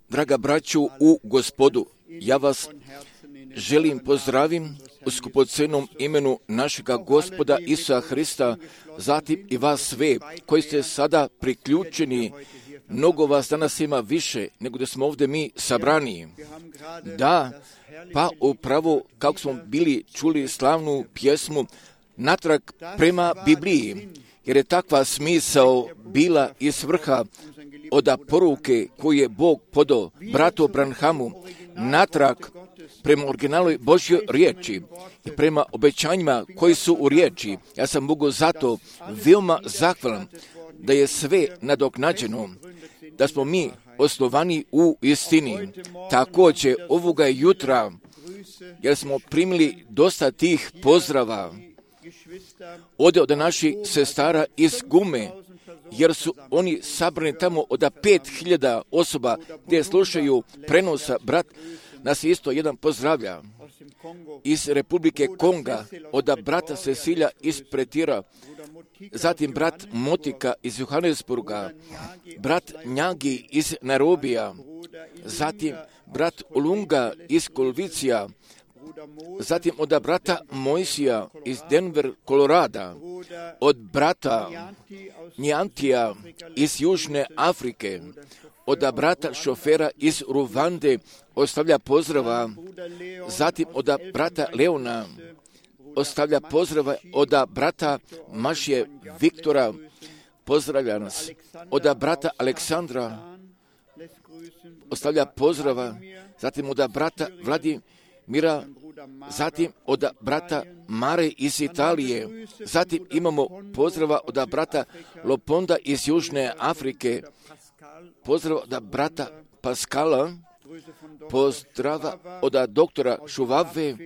Draga braću u Gospodu, ja vas želim pozdravim u skupocenom imenu našega Gospoda Isusa Hrista, zatim i vas sve koji ste sada priključeni. Mnogo vas danas ima više nego da smo ovdje mi sabrani. Da, pa upravo kako smo bili čuli slavnu pjesmu natrag prema Bibliji, jer je takva smisao bila i svrha od poruke koju je Bog podao bratu Branhamu natrag prema originalnoj Božjoj riječi i prema obećanjima koji su u riječi. Ja sam Bogu zato veoma zahvalan da je sve nadoknađeno, da smo mi osnovani u istini. Također ovoga jutra, jer smo primili dosta tih pozdrava od naših sestara iz Gume, jer su oni sabrani tamo od 5.000 osoba gdje slušaju prenosa. Brat nas isto jedan pozdravlja iz Republike Konga, od brata Cecilija iz Pretira, zatim brat Motika iz Johannesburga, brat Njagi iz Nairobija, zatim brat Ulunga iz Kolvicija, zatim od brata Mojsija iz Denver, Kolorada, od brata Njantija iz Južne Afrike, od brata šofera iz Ruvande ostavlja pozdrava, zatim od brata Leona ostavlja pozdrava, od brata Mašije Viktora pozdravlja nas, od brata Aleksandra ostavlja pozdrava, zatim od brata Vladimira, zatim od brata Mare iz Italije, zatim imamo pozdrava od brata Loponda iz Južne Afrike, pozdrava od brata Paskala, pozdrava od doktora Šuvave,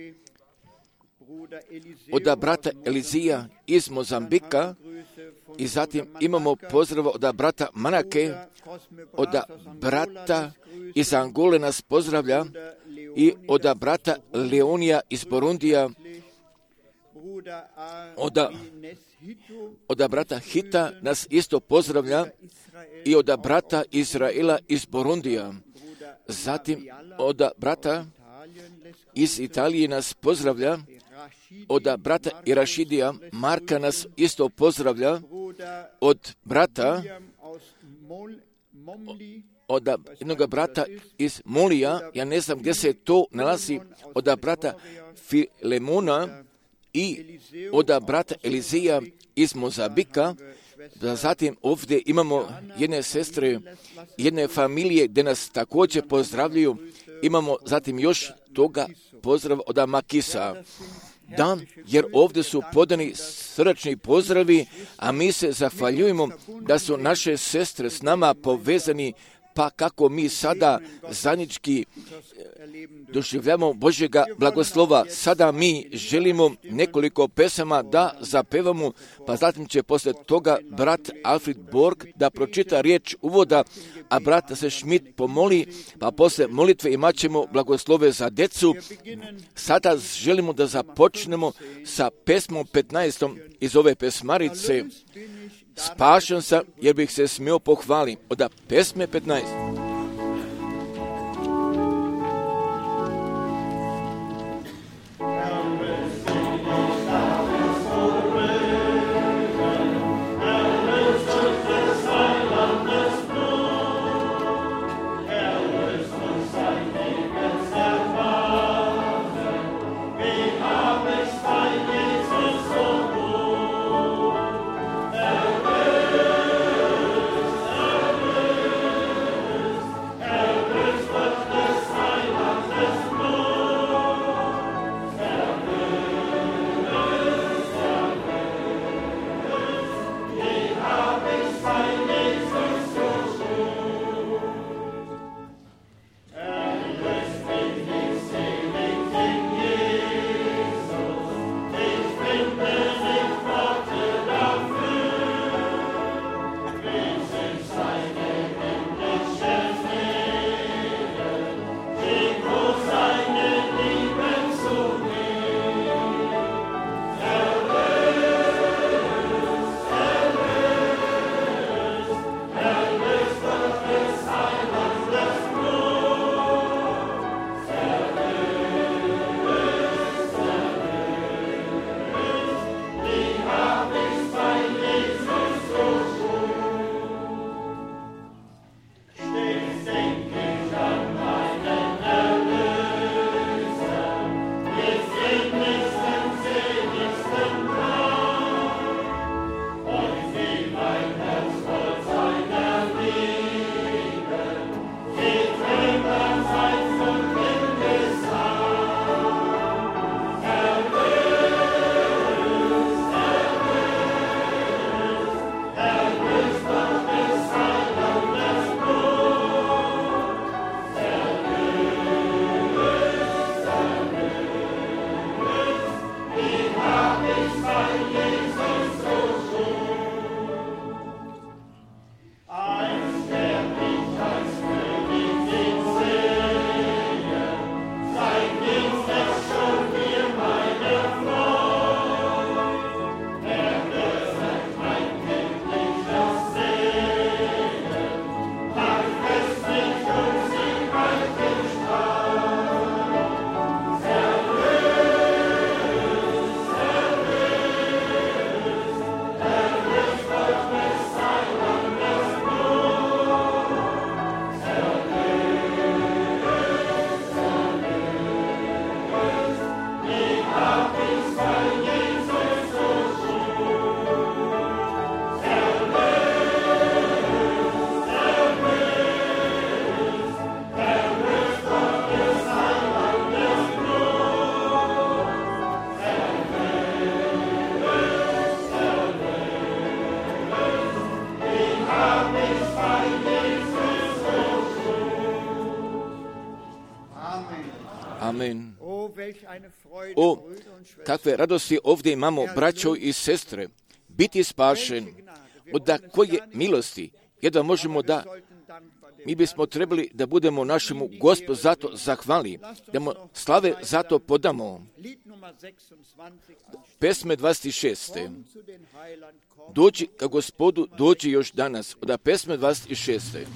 od brata Elizija iz Mozambika i zatim imamo pozdrava od brata Manake, od brata iz Angole nas pozdravlja i od brata Leonija iz Burundija, od brata Hita nas isto pozdravlja i od brata Izraela iz Burundija. Zatim od brata iz Italije nas pozdravlja, od brata Irašidija Marka nas isto pozdravlja, od brata od jednog brata iz Molija, ja ne znam gdje se to nalazi, od brata Filemona i od brata Elizija iz Mozambika. Zatim ovdje imamo jedne sestre, jedne familije gdje nas također pozdravljaju. Imamo zatim još toga pozdrav od Makisa. Da, jer ovdje su podani srdačni pozdravi, a mi se zahvaljujemo da su naše sestre s nama povezani, pa kako mi sada zajednički doživljamo Božjega blagoslova. Sada mi želimo nekoliko pesama da zapevamo, pa zatim će poslije toga brat Alfred Borg da pročita riječ uvoda, a brat se Schmidt pomoli, pa poslije molitve imat ćemo blagoslove za djecu. Sada želimo da započnemo sa pesmom 15. iz ove pesmarice. Spašen sam jer bih se smio pohvaliti. Od pesme 15. Amen. O, kakve radosti ovdje imamo, braćo i sestre, biti spašen, od koje milosti, jedva možemo da, mi bismo trebali da budemo našemu Gospodu zato zahvali, da mu slave zato podamo. Pesme 26. Dođi ka Gospodu, dođi još danas, od pesme 26.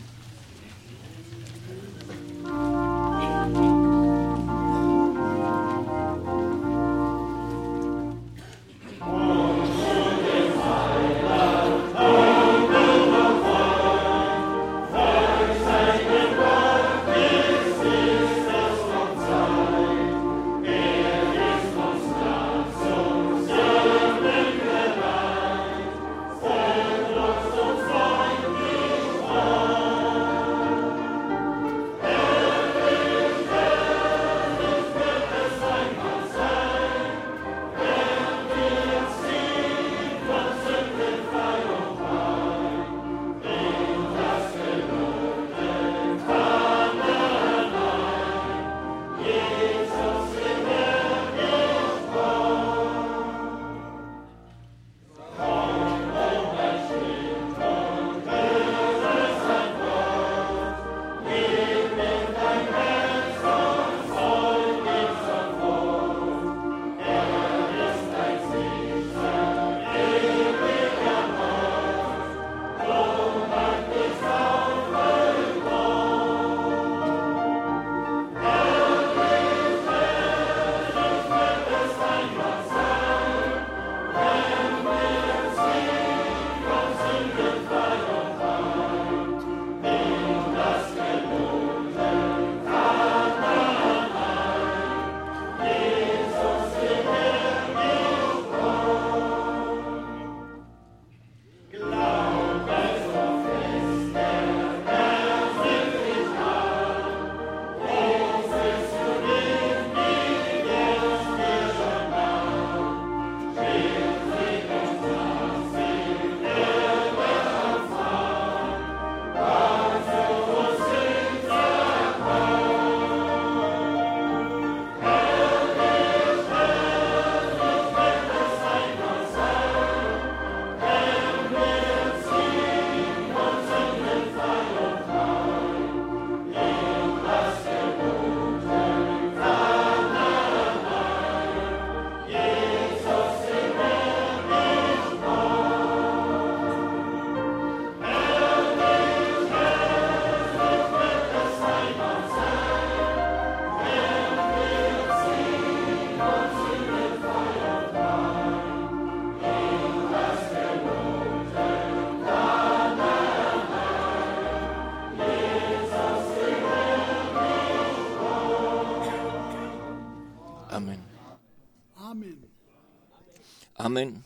Amen.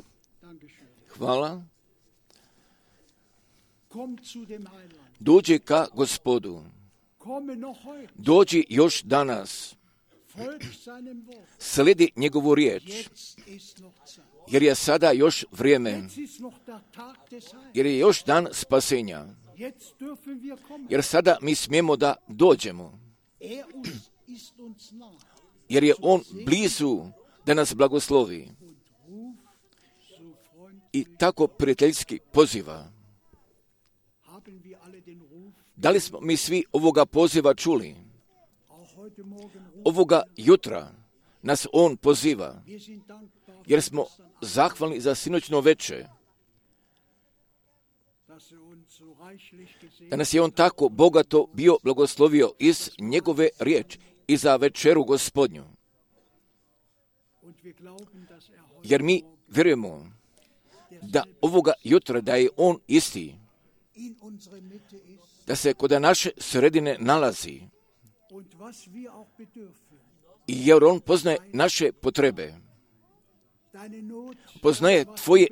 Hvala. Dođi ka Gospodu. Dođi još danas. Sledi njegovu riječ. Jer je sada još vrijeme. Jer je još dan spasenja. Jer sada mi smijemo da dođemo. Jer je on blizu da nas blagoslovi. I tako prijateljski poziva. Da li smo mi svi ovoga poziva čuli? Ovoga jutra nas on poziva, jer smo zahvalni za sinoćno veče. Da nas je on tako bogato bio blagoslovio iz njegove riječi i za večeru Gospodnju. Jer mi vjerujemo da ovoga jutra da je on isti, da se kod naše sredine nalazi i jer on poznaje naše potrebe, poznaje tvoje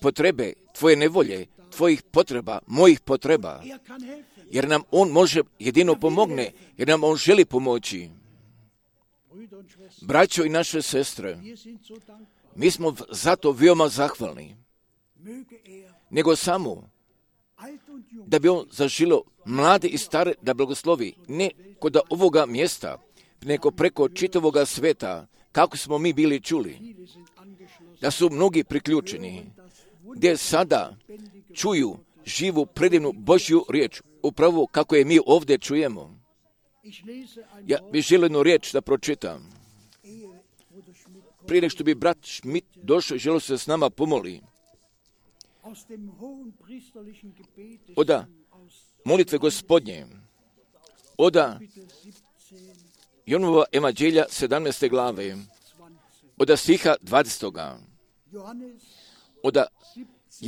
potrebe, tvoje nevolje, tvojih potreba, mojih potreba, jer nam on može jedino pomogne, jer nam on želi pomoći. Braćo i naše sestre, mi smo zato veoma zahvalni, nego samo da bi on zažilo mlade i stare da blagoslovi, ne kod ovoga mjesta, nego preko čitavoga sveta, kako smo mi bili čuli, da su mnogi priključeni, gdje sada čuju živu, predivnu Božju riječ, upravo kako je mi ovdje čujemo. Ja bih želio jednu riječ da pročitam. Prije nego što bi brat Schmidt došao i želio se s nama pomoli. Od molitve Gospodnje, od Jonovova evanđelja 17. glave, od stiha 20. Od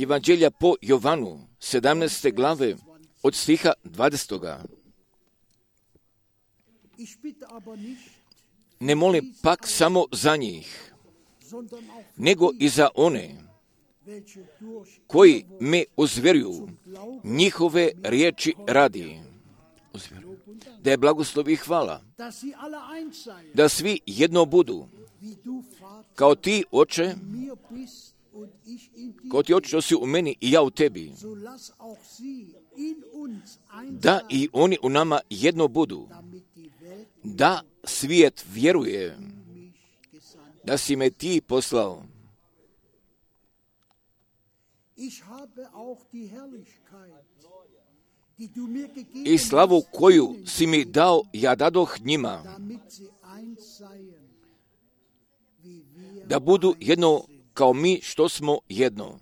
evanđelja po Jovanu 17. glave, od stiha 20. Ne molim pak samo za njih, nego i za one koji me uzvjeruju njihove riječi radi. Da je blagoslov i hvala, da svi jedno budu, kao ti, Oče, što si u meni i ja u tebi, da i oni u nama jedno budu, da svijet vjeruje da si me ti poslao. I slavu koju si mi dao, ja dadoh njima, da budu jedno kao mi što smo jedno.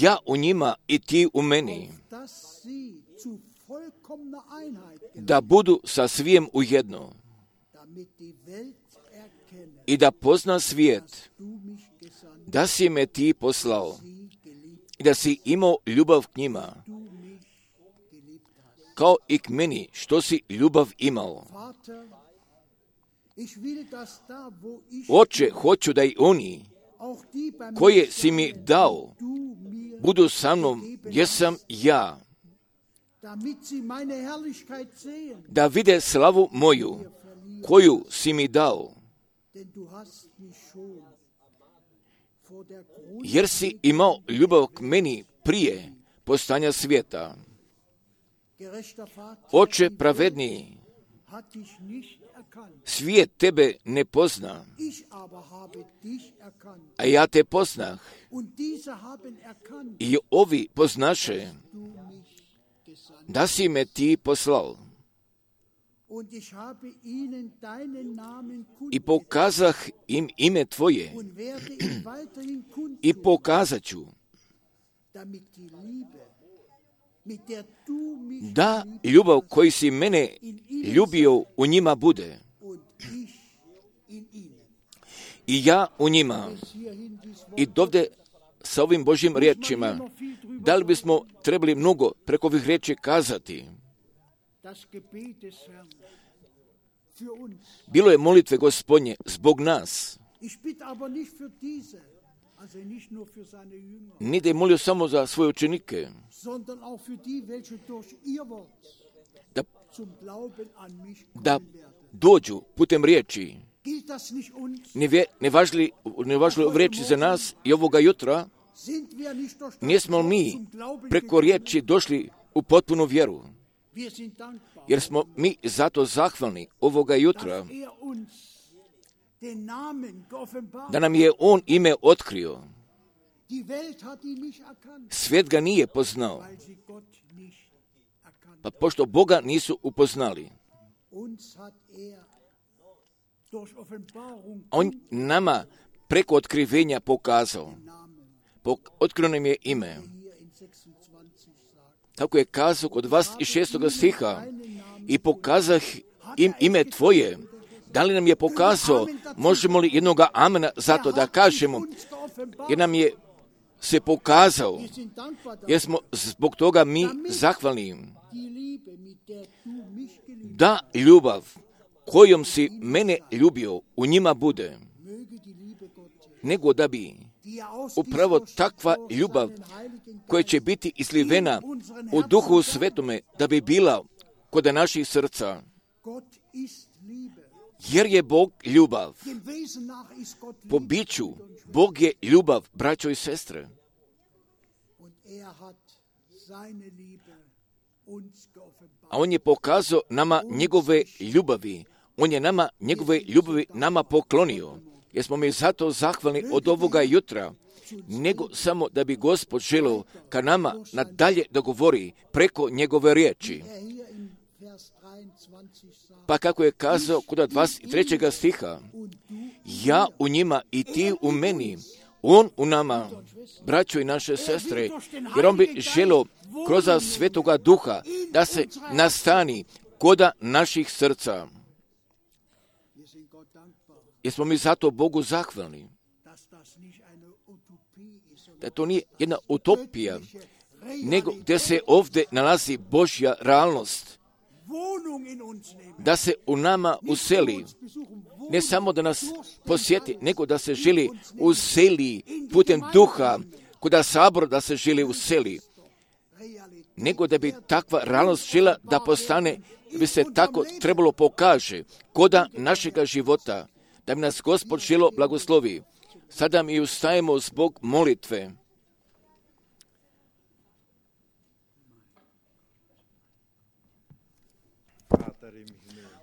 Ja u njima i ti u meni, da budu sa svijem u jedno i da pozna svijet da si me ti poslao i da si imao ljubav k njima, kao i k meni što si ljubav imao. Oče, hoću da i oni koje si mi dao budu sa mnom gdje sam ja, da vide slavu moju koju si mi dao, jer si imao ljubav k meni prije postojanja svijeta. Oče pravedniji, svijet tebe ne pozna, a ja te poznah i ovi poznaše da si me ti poslao. I pokazah im ime tvoje i pokazat ću da ljubav koju si mene ljubio u njima bude i ja u njima. I dovde sa ovim Božjim riječima, da li bismo trebali mnogo preko ovih riječi kazati? Bilo je molitve Gospodnje zbog nas. Nije da je molio samo za svoje učenike, da dođu putem riječi. Ne važili riječi za nas i ovoga jutra, nismo mi preko riječi došli u potpunu vjeru, jer smo mi zato zahvalni ovoga jutra, da nam je on ime otkrio. Svijet ga nije poznao, pa pošto Boga nisu upoznali, on nama preko otkrivenja pokazao. Otkrio nam je ime. Tako je kazao kod 26. stiha, i pokazah im ime tvoje. Da li nam je pokazao, možemo li jednoga amena zato da kažemo, jer nam je se pokazao, jer smo zbog toga mi zahvalni, da ljubav kojom si mene ljubio u njima bude, nego da bi upravo takva ljubav koja će biti izlivena u Duhu Svetome, da bi bila kod naših srca. Jer je Bog ljubav. Po biću Bog je ljubav, braćo i sestre. A on je pokazao nama njegove ljubavi. On je nama njegove ljubavi nama poklonio. Jer smo mi zato zahvalni od ovoga jutra, nego samo da bi Gospod želio ka nama nadalje da govori preko njegove riječi. Pa kako je kazao kod 23. stiha, ja u njima i ti u meni, on u nama, braćo i naše sestre, jer on bi želio kroz Svetoga Duha da se nastani koda naših srca. Jesmo mi zato Bogu zahvalni. Da to nije jedna utopija, nego gdje se ovdje nalazi Božja realnost. Da se u nama useli, ne samo da nas posjeti, nego da se želi useli putem duha, kuda sabor da se želi useli, nego da bi takva realnost žela da postane, bi se tako trebalo pokaže koda našega života, da bi nas Gospod želo blagoslovi. Sada mi ustajemo zbog molitve.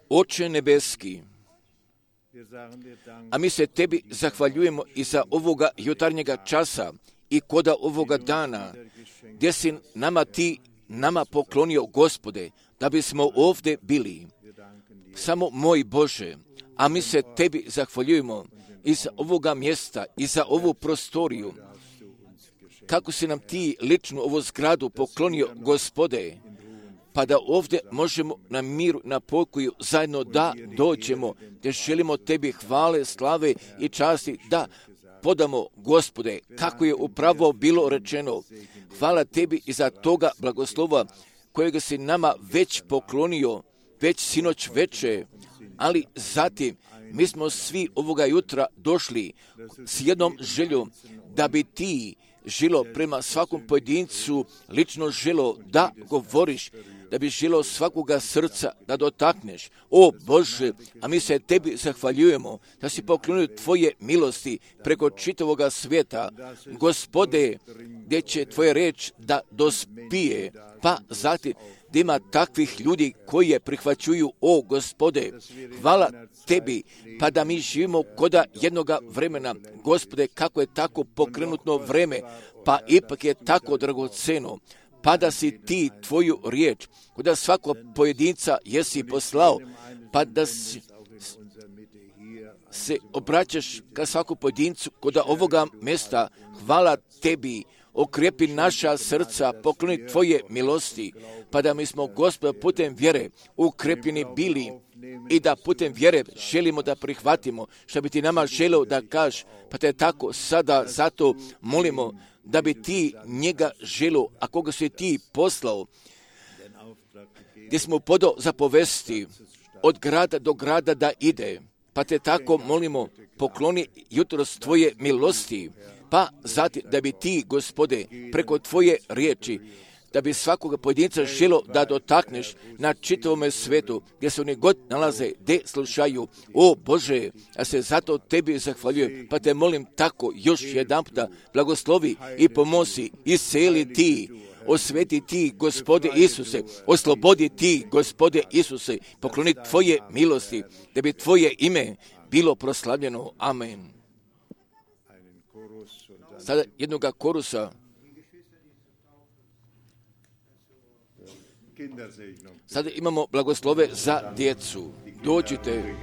Oče nebeski, a mi se tebi zahvaljujemo i za ovoga jutarnjega časa i koda ovoga dana, gdje si nama poklonio, Gospode, da bismo ovdje bili. Samo moj Bože, a mi se tebi zahvaljujemo i za ovoga mjesta i za ovu prostoriju. Kako si nam ti ličnu ovu zgradu poklonio, Gospode, pa da ovdje možemo na miru, na pokoju zajedno da dođemo, gdje želimo tebi hvale, slave i časti da podamo, Gospode, kako je upravo bilo rečeno. Hvala tebi i za toga blagoslova kojega si nama već poklonio, već sinoć veče, ali zatim mi smo svi ovoga jutra došli s jednom željom da bi ti želo prema svakom pojedincu lično želo da govoriš, da bi želo svakoga srca da dotakneš. O Bože, a mi se tebi zahvaljujemo da si poklonio tvoje milosti preko čitavoga svijeta. Gospode, gdje će tvoja reč da dospije, pa zatim da ima takvih ljudi koji je prihvaćuju, o Gospode, hvala tebi, pa da mi živimo koda jednoga vremena, Gospode, kako je tako pokrenutno vreme, pa ipak je tako dragoceno, pa da si ti tvoju riječ, koda svakog pojedinca jesi poslao, pa da se obraćaš ka svakom pojedincu koda ovoga mjesta, hvala tebi, okrepi naša srca, pokloni tvoje milosti, pa da mi smo, Gospod, putem vjere ukrepljeni bili i da putem vjere želimo da prihvatimo što bi ti nama želeo da kaž, pa te tako sada zato molimo da bi ti njega želeo, a koga si ti poslao, gdje smo podao zapovesti od grada do grada da ide, pa te tako molimo, pokloni jutros tvoje milosti, pa zatim da bi ti, Gospode, preko tvoje riječi, da bi svakoga pojedinca želo da dotakneš na čitavome svetu, gdje se oni god nalaze, gdje slušaju. O Bože, ja se zato tebi zahvaljujem, pa te molim tako još jedan puta, blagoslovi i pomozi, isceli ti, osveti ti, Gospode Isuse, oslobodi ti, Gospode Isuse, pokloni tvoje milosti, da bi tvoje ime bilo proslavljeno. Amen. Sada jednoga korusa. Sada imamo blagoslove za djecu. Dođite.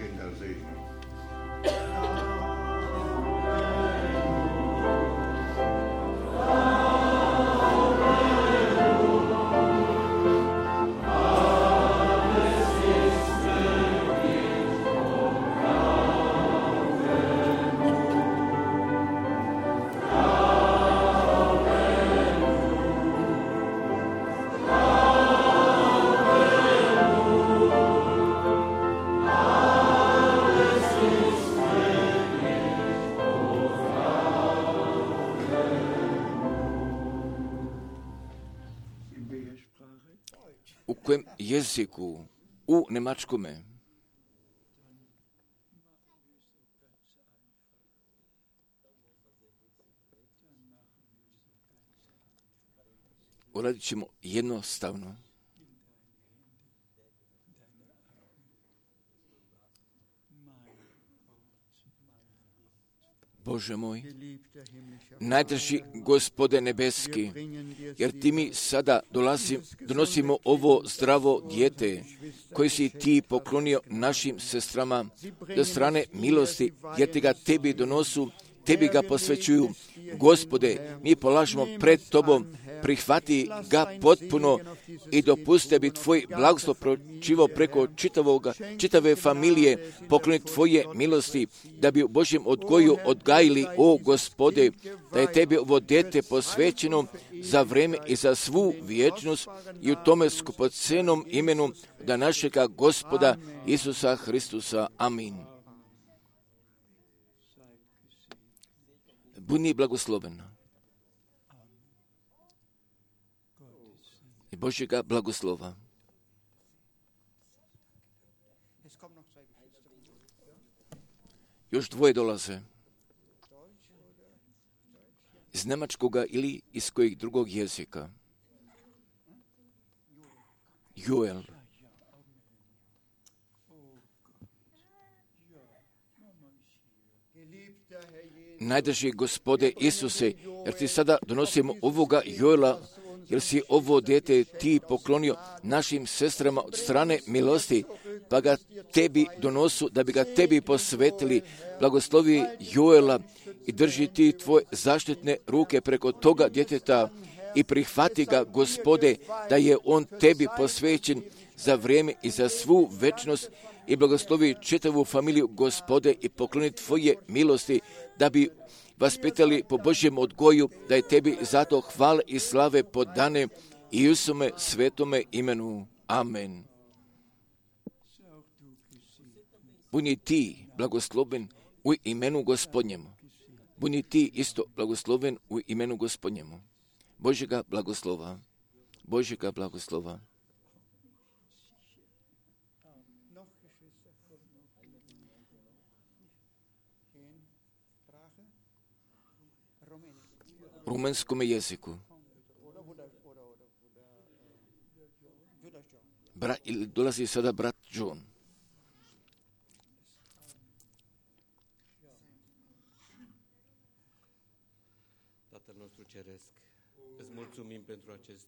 U kojem jeziku? U nemačkome. Uradit ćemo jednostavno. Bože moj, najdrži Gospode nebeski, jer ti mi sada donosimo ovo zdravo dijete, koje si ti poklonio našim sestrama do strane milosti, jer ti ga tebi donosu, tebi ga posvećuju. Gospode, mi polažemo pred tobom, prihvati ga potpuno i dopusti bi tvoj blagoslov pročivao preko čitave familije, pokloni tvoje milosti, da bi u Božjem odgoju odgajili, o Gospode, da je tebi ovo dete posvećeno za vreme i za svu vječnost i u tome skupocenom imenu da našega Gospoda Isusa Hristusa. Amin. Budi blagosloven. I Božjega blagoslova. Još dvoje dolaze. Iz njemačkoga ili iz kojeg drugog jezika. Joel. Najdrži Gospode Isuse, jer ti sada donosimo ovoga Joela, jer si ovo dijete ti poklonio našim sestrama od strane milosti, pa ga tebi donosu, da bi ga tebi posvetili. Blagoslovi Joela i drži ti tvoje zaštitne ruke preko toga djeteta i prihvati ga, Gospode, da je on tebi posvećen za vrijeme i za svu večnost, i blagoslovi čitavu familiju, Gospode, i pokloni tvoje milosti, da bi vaspitali po Božjem odgoju, da je tebi zato hvale i slave podane i u svome svetome imenu. Amen. Budi ti blagosloven u imenu Gospodnjemu. Budi ti isto blagosloven u imenu Gospodnjemu. Božjega blagoslova. Božjega blagoslova. Rumunskom jeziku. Dolazi sada brat John. Tatăl nostru Ceresc, îți mulțumim pentru acest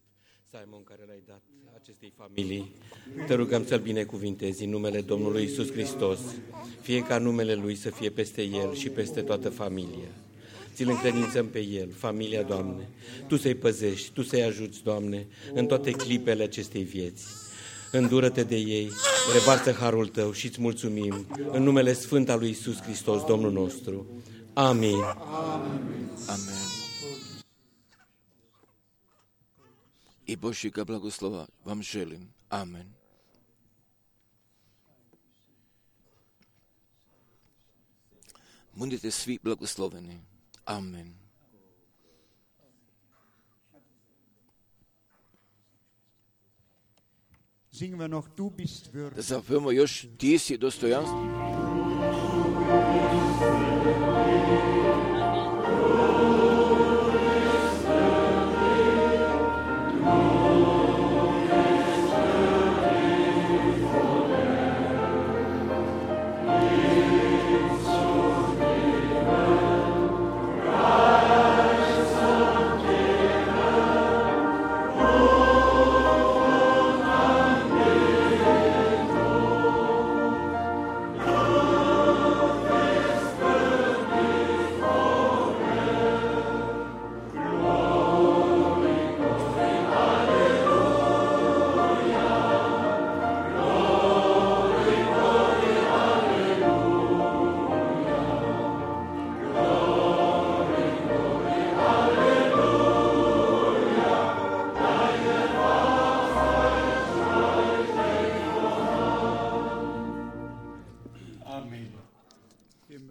Simon care l-ai dat acestei familii. Te rugăm să-l binecuvintezi în numele Domnului Iisus Hristos, fie ca numele Lui să fie peste el și peste toată familia. Ți-l încredințăm pe el, familia, Doamne. Tu să-i păzești, Tu să-i ajuți, Doamne, în toate clipele acestei vieți. Îndură-te de ei, revarsă harul Tău și îți mulțumim în numele Sfânt al lui Iisus Hristos, Domnul nostru. Amin. Amen. I Božjega blagoslova vam želim. Amen. Budite svi blagosloveni. Amen. Da zapevamo još ti si dostojanstven.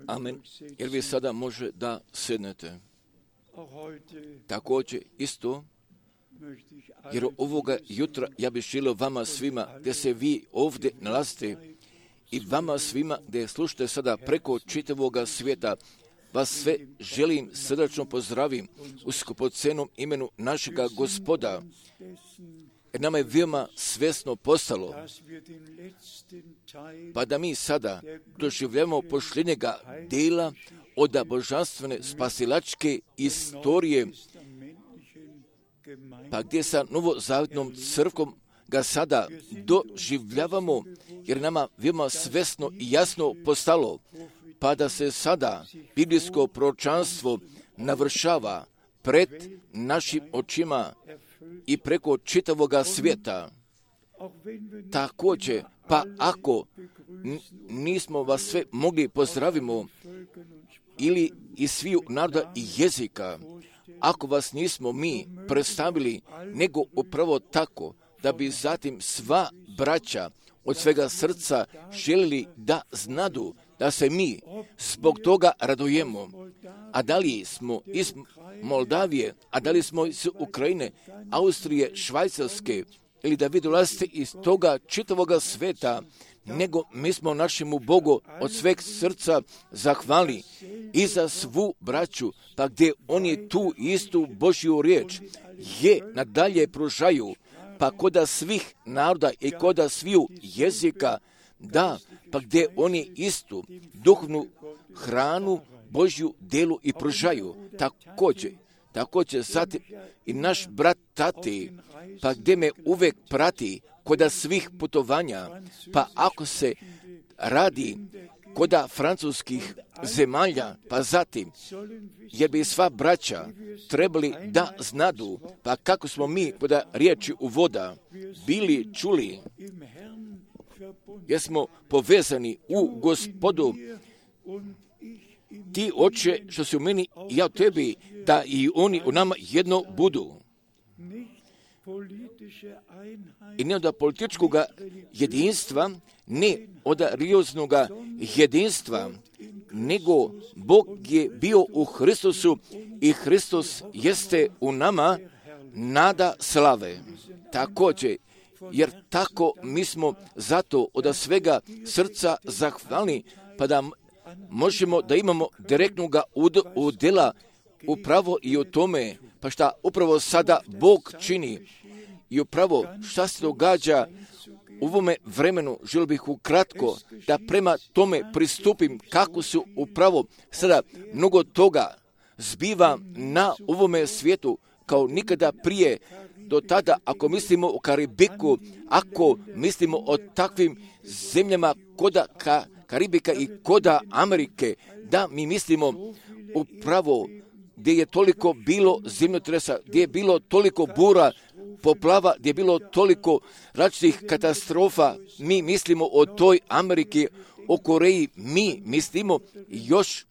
Amen. Jer vi sada može da sednete. Također isto, jer ovoga jutra ja bih želio vama svima, gdje se vi ovdje nalazite, i vama svima gdje slušate sada preko čitavoga svijeta, vas sve želim srdačno pozdravim u skupocenom imenu našega Gospoda. jer nama je veoma svesno postalo, pa da mi sada doživljamo posljednjega dela od božanstvene spasilačke istorije, pa gdje sa novozavjetnom crkvom ga sada doživljavamo, jer nama veoma svesno i jasno postalo, pa da se sada biblijsko proročanstvo navršava pred našim očima i preko čitavoga svijeta. Također, pa ako nismo vas sve mogli pozdravimo ili iz sviju naroda i jezika, ako vas nismo mi predstavili, nego upravo tako, da bi zatim sva braća od svega srca želili da znadu da se mi zbog toga radujemo. A da li smo iz Moldavije, a da li smo iz Ukrajine, Austrije, Švajcarske, ili da vi dolazite iz toga čitavoga sveta, nego mi smo našemu Bogu od sveg srca zahvali i za svu braću, pa gdje oni tu istu Božju riječ je nadalje pružaju, pa koda svih naroda i koda sviju jezika, da, pa gdje oni istu duhovnu hranu Božju delu i pružaju. Također zatim i naš brat Tati, pa gdje me uvek prati koda svih putovanja, pa ako se radi koda francuskih zemalja, pa zatim, jer bi sva braća trebali da znadu, pa kako smo mi koda riječi uvoda bili čuli, jer smo povezani u Gospodu, ti oče što si u meni i ja u tebi, da i oni u nama jedno budu. I ne od političkog jedinstva, ne od religioznog jedinstva, nego Bog je bio u Hristusu i Hristos jeste u nama nada slave. Također, jer tako mi smo zato od svega srca zahvalni, pa da možemo da imamo direktnog udjela upravo i o tome, pa šta upravo sada Bog čini i upravo šta se događa u ovome vremenu, želio bih ukratko da prema tome pristupim kako su upravo sada mnogo toga zbiva na ovome svijetu kao nikada prije. Do tada, ako mislimo o Karibiku, ako mislimo o takvim zemljama koda Karibika i koda Amerike, da mi mislimo upravo gdje je toliko bilo zemljotresa, gdje je bilo toliko bura, poplava, gdje je bilo toliko različitih katastrofa, mi mislimo o toj Ameriki, o Koreji, mi mislimo još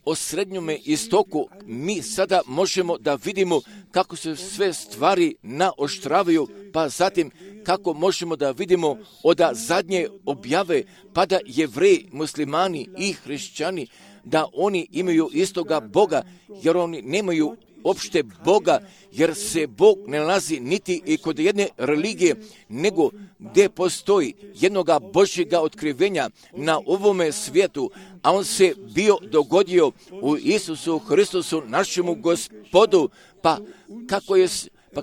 o Srednjome istoku. Mi sada možemo da vidimo kako se sve stvari naoštravaju, pa zatim kako možemo da vidimo od zadnje objave, pa da Jevreji, muslimani i hrišćani, da oni imaju istoga Boga, jer oni nemaju opšte Boga, jer se Bog ne nalazi niti i kod jedne religije, nego gdje postoji jednoga Božjega otkrivenja na ovome svijetu, a on se bio dogodio u Isusu Hristusu, našemu Gospodu, pa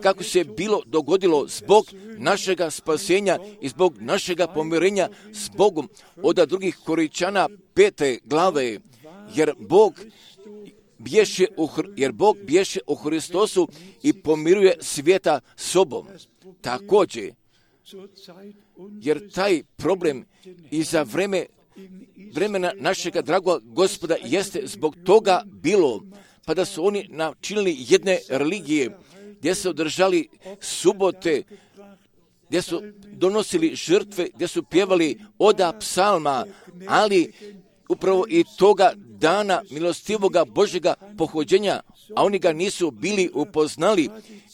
kako se bilo dogodilo zbog našega spasenja i zbog našega pomirenja s Bogom od drugih Korinčana 5. glave, jer Bog bješe u Hristosu i pomiruje svijeta sobom. Također, jer taj problem i za vremena našega dragog Gospoda jeste zbog toga bilo, pa da su oni načinili jedne religije, gdje su održali subote, gdje su donosili žrtve, gdje su pjevali oda psalma, ali upravo i toga dana milostivoga Božjega pohođenja, a oni ga nisu bili upoznali,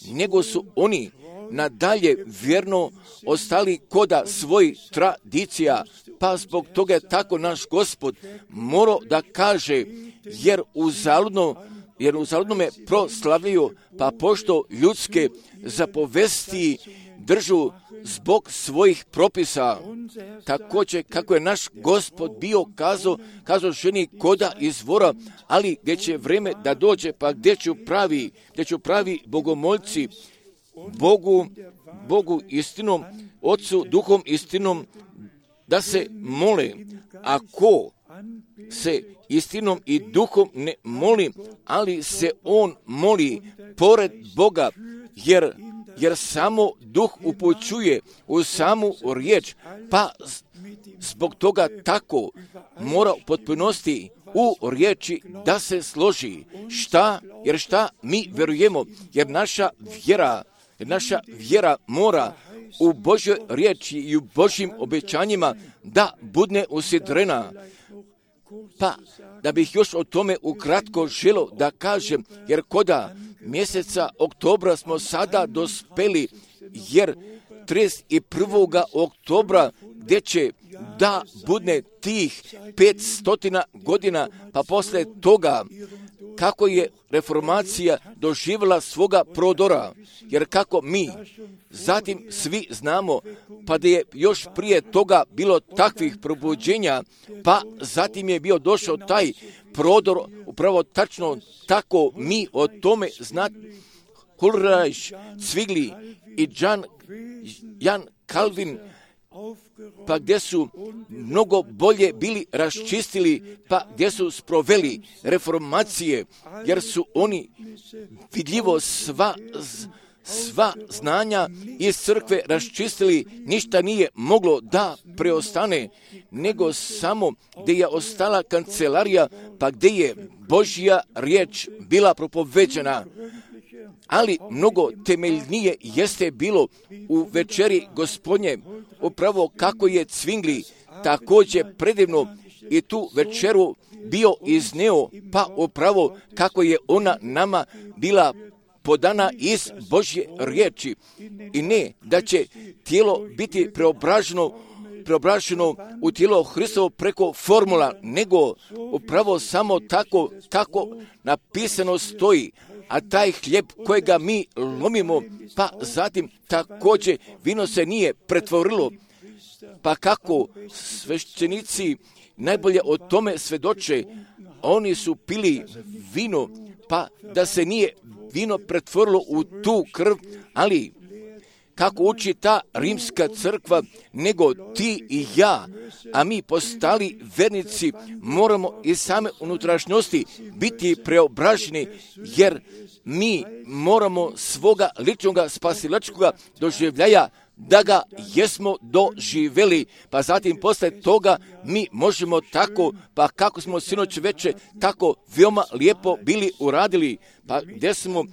nego su oni nadalje vjerno ostali koda svojih tradicija, pa zbog toga je tako naš Gospod morao da kaže, jer uzaludno me proslavljaju, pa pošto ljudske zapovesti držu zbog svojih propisa. Također kako je naš Gospod bio kazao ženi koda izvora, ali gdje će vreme da dođe, pa gdje ću pravi bogomolci Bogu istinom, Otcu duhom istinom, da se mole. Ako se istinom i duhom ne moli, ali se on moli pored Boga, jer samo duh upućuje u samu riječ, pa zbog toga tako mora u potpunosti u riječi da se složi. Jer šta mi verujemo? Jer naša vjera mora u Božjoj riječi i u Božjim obećanjima da budne usidrena. Pa, da bih još o tome ukratko želio da kažem, jer koda mjeseca oktobra smo sada dospeli, jer 31. oktobra gdje će da budne tih 500 godina, pa poslije toga kako je reformacija doživjela svoga prodora, jer kako mi zatim svi znamo, pa da je još prije toga bilo takvih probuđenja, pa zatim je bio došao taj prodor, upravo tačno tako mi o tome znamo. Ulrich Zwingli i Jan Calvin, pa gdje su mnogo bolje bili raščistili, pa gdje su sproveli reformacije, jer su oni vidljivo sva znanja iz crkve raščistili, ništa nije moglo da preostane, nego samo gdje je ostala kancelarija, pa gdje je Božja riječ bila propoveđena. Ali mnogo temeljnije jeste bilo u večeri Gospodnje, upravo kako je Zwingli također predivno i tu večeru bio izneo, pa upravo kako je ona nama bila podana iz Božje riječi. I ne da će tijelo biti preobraženo u tijelo Hristovo preko formula, nego upravo samo tako kako napisano stoji. A taj hljeb kojega mi lomimo, pa zatim također vino se nije pretvorilo. Pa kako sveštenici najbolje o tome svjedoče, oni su pili vino, pa da se nije vino pretvorilo u tu krv, ali kako uči ta rimska crkva, nego ti i ja, a mi postali vernici, moramo iz same unutrašnjosti biti preobraženi, jer mi moramo svoga ličnoga spasilačkoga doživljaja da ga jesmo doživjeli, pa zatim posle toga mi možemo tako, pa kako smo sinoć veče tako veoma lijepo bili uradili, pa gdje smo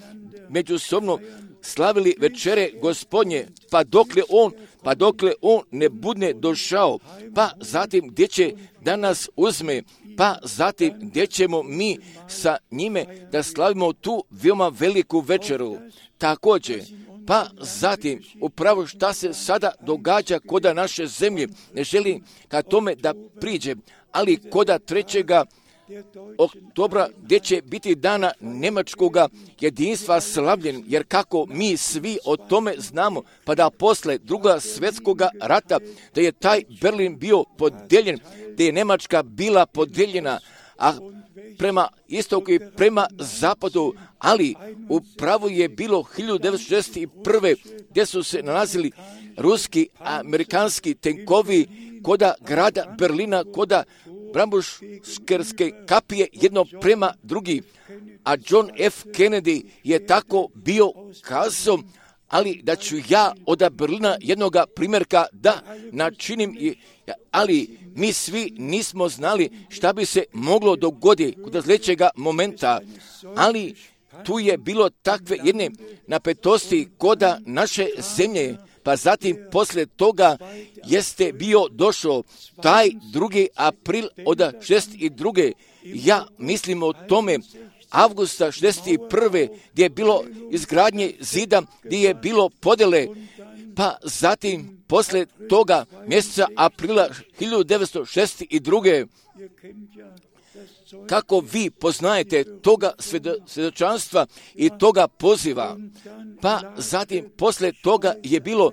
međusobno slavili večere Gospodnje, pa dokle on ne budne došao, pa zatim gdje će da nas uzme, pa zatim gdje ćemo mi sa njime da slavimo tu veoma veliku večeru. Također, pa zatim upravo šta se sada događa koda naše zemlje, ne želim ka tome da priđem, ali koda 3. oktobra gdje će biti dana Njemačkoga jedinstva slavljen, jer kako mi svi o tome znamo, pa da posle Drugog svjetskoga rata, da je taj Berlin bio podijeljen, da je Njemačka bila podijeljena, a prema istoku i prema zapadu, ali upravo je bilo 1961. gdje su se nalazili ruski, amerikanski tenkovi koda grada Berlina, koda Brandenburške kapije jedno prema drugi, a John F. Kennedy je tako bio kazao, ali da ću ja od Berlina jednoga primjerka da načinim, ali mi svi nismo znali šta bi se moglo dogoditi kod sljedećega momenta, ali tu je bilo takve jedne napetosti koda naše zemlje, pa zatim poslije toga jeste bio došao taj 2. april od 62. Ja mislim o tome avgusta 61. gdje je bilo izgradnje zida, gdje je bilo podjele, pa zatim poslije toga mjeseca aprila 1962. Kako vi poznajete toga svjedočanstva i toga poziva, pa zatim poslije toga je bilo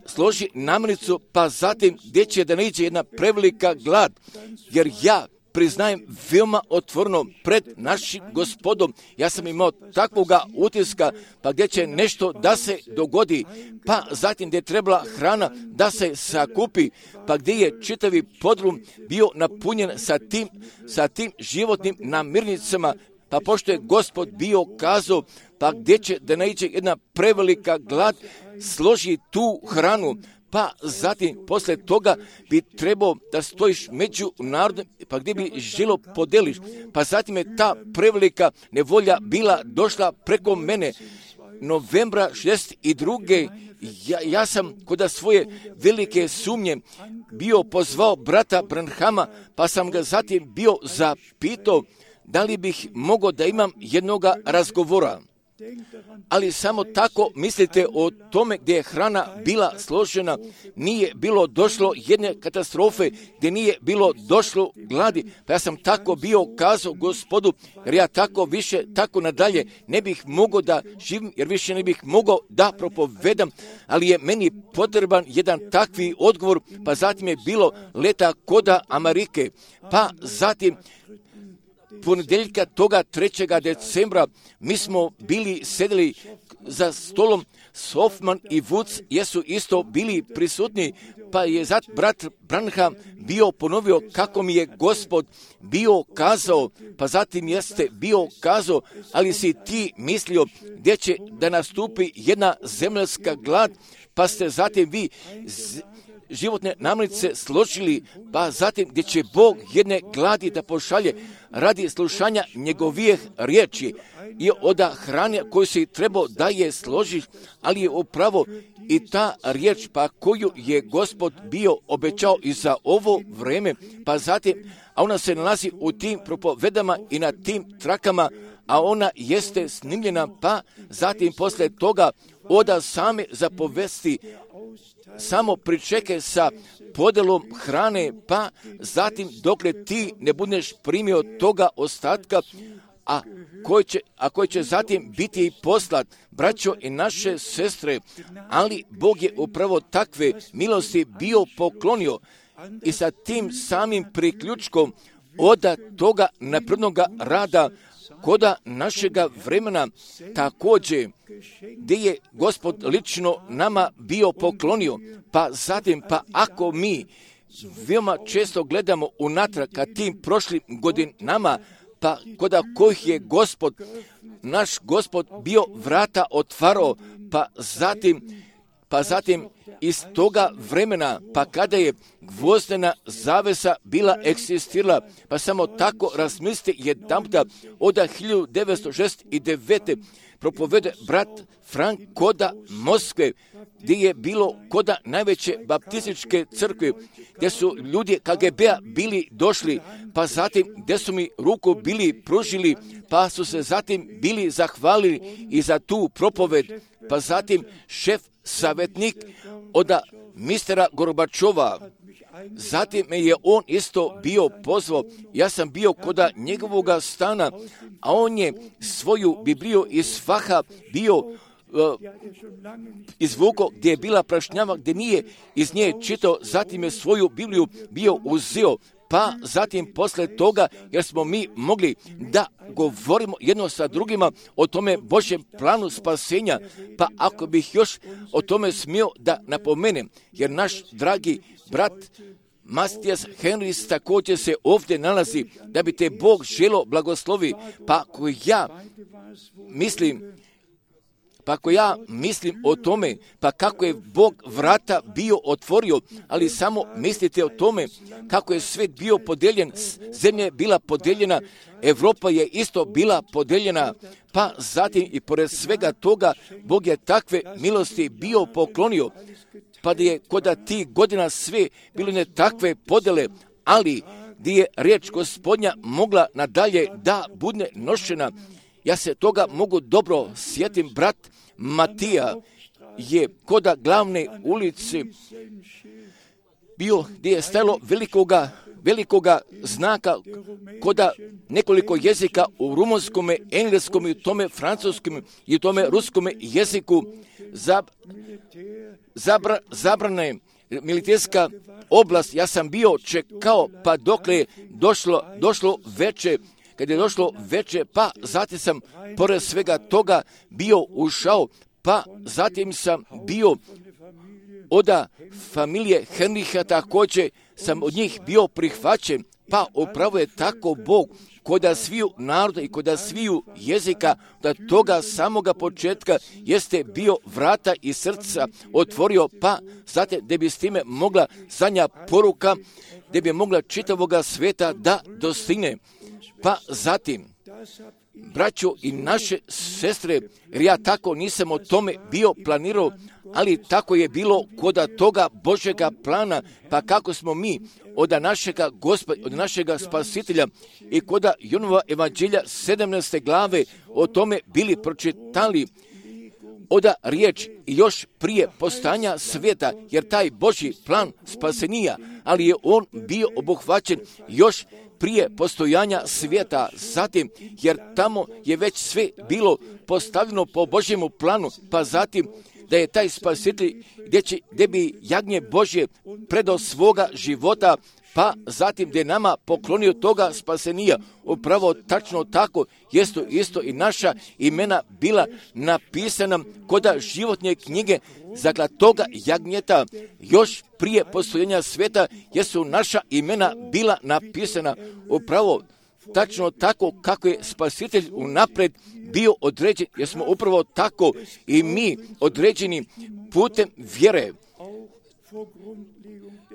složi namirnicu, pa zatim gdje će da ne iđe jedna prevelika glad, jer ja priznajem veoma otvoreno pred našim Gospodom. Ja sam imao takvoga utiska, pa gdje će nešto da se dogodi, pa zatim gdje je trebala hrana da se sakupi, pa gdje je čitavi podrum bio napunjen sa tim životnim namirnicama, pa pošto je Gospod bio kazao, pa gdje će da naiđe jedna prevelika glad, složi tu hranu, pa zatim posle toga bi trebao da stojiš među narodom, pa gdje bi žilo podeliš, pa zatim je ta prevelika nevolja bila došla preko mene. Novembra 62. Ja sam kod svoje velike sumnje bio pozvao brata Branhama, pa sam ga zatim bio zapitao da li bih mogao da imam jednoga razgovora. Ali samo tako mislite o tome gdje je hrana bila složena, nije bilo došlo jedne katastrofe, gdje nije bilo došlo gladi. Pa ja sam tako bio kazao Gospodu, jer ja tako više, tako nadalje ne bih mogao da živim, jer više ne bih mogao da propovedam, ali je meni potreban jedan takvi odgovor, pa zatim je bilo leta koda Amerike, pa zatim ponedjeljka toga 3. decembra mi smo bili sedeli za stolom, Hoffman i Woods jesu isto bili prisutni, pa je brat Branham bio ponovio kako mi je Gospod bio kazao, pa zatim jeste bio kazao, ali si ti mislio gdje će da nastupi jedna zemaljska glad, pa ste zatim vi životne namirnice složili, pa zatim gdje će Bog jedne gladi da pošalje radi slušanja njegovih riječi i od hrane koju si trebao da je složiš, ali je upravo i ta riječ pa koju je Gospod bio obećao i za ovo vreme, pa zatim, a ona se nalazi u tim propovedama i na tim trakama, a ona jeste snimljena, pa zatim posle toga oda same zapovesti, samo pričekaj sa podelom hrane, pa zatim dokle ti ne budeš primio toga ostatka, a koji će zatim biti i poslat, braćo i naše sestre, ali Bog je upravo takve milosti bio poklonio i sa tim samim priključkom od toga naprednoga rada koda našega vremena također, gdje je Gospod lično nama bio poklonio, pa zatim, pa ako mi veoma često gledamo unatrag ka tim prošlim godinama, pa koda kojih je naš Gospod bio vrata otvarao, pa zatim iz toga vremena, pa kada je gvozdena zavesa bila eksistirala, pa samo tako razmislite jedanputa od 1969. propovede brat Frank koda Moskve, gdje je bilo koda najveće baptističke crkve, gdje su ljudi KGB-a bili došli, pa zatim gdje su mi ruku bili pružili, pa su se zatim bili zahvalili i za tu propoved, pa zatim šef savjetnik od mistera Gorbačova. Zatim me je on isto bio pozvao, ja sam bio koda njegovoga stana, a on je svoju Bibliju iz faha bio izvukao gdje je bila prašnjava, gdje nije iz nje čitao, zatim je svoju Bibliju bio uzeo, pa zatim posle toga, jer smo mi mogli da govorimo jedno sa drugima o tome Božjem planu spasenja, pa ako bih još o tome smio da napomenem, jer naš dragi brat Matijas Henris također se ovdje nalazi, da bi te Bog želo blagoslovi, pa ako ja mislim o tome, pa kako je Bog vrata bio otvorio, ali samo mislite o tome kako je svijet bio podeljen, zemlja je bila podeljena, Evropa je isto bila podeljena, pa zatim i pored svega toga Bog je takve milosti bio poklonio, pa da je kod tih godina sve bilo ne takve podele, ali gdje je riječ Gospodnja mogla nadalje da bude nošena. Ja se toga mogu dobro sjetim, brat Matija je koda glavne ulice bio gdje je stajalo velikoga znaka koda nekoliko jezika u rumunskome, engleskom i tome francuskom i tome ruskome jeziku zabrane militerska oblast, ja sam bio čekao pa dokle je došlo veče, kad je došlo veče, pa zatim sam pored svega toga bio ušao, pa zatim sam bio od familije Henriha, također sam od njih bio prihvaćen, pa upravo je tako Bog koda sviju naroda i koda sviju jezika, da toga samoga početka jeste bio vrata i srca otvorio, pa zatim da bi s time mogla zadnja poruka, da bi mogla čitavoga sveta da dostigne. Pa zatim, braćo i naše sestre, jer ja tako nisam o tome bio planirao, ali tako je bilo koda toga Božjega plana, pa kako smo mi od našega Gospoda, od našega Spasitelja i koda Jonova evanđelja 17. glave o tome bili pročitali oda riječ još prije postanja svijeta, jer taj Božji plan spasenija, ali je on bio obuhvaćen još prije postojanja svijeta, zatim, jer tamo je već sve bilo postavljeno po Božjemu planu, pa zatim da je taj spasitelj gdje bi jagnje Božje predao svoga života, pa zatim da je nama poklonio toga spasenija. Upravo tačno tako jest isto i naša imena bila napisana koda životne knjige zakla toga jagnjeta još prije postojanja svijeta, jesu naša imena bila napisana upravo tačno tako kako je spasitelj unaprijed bio određen, jer smo upravo tako i mi određeni putem vjere.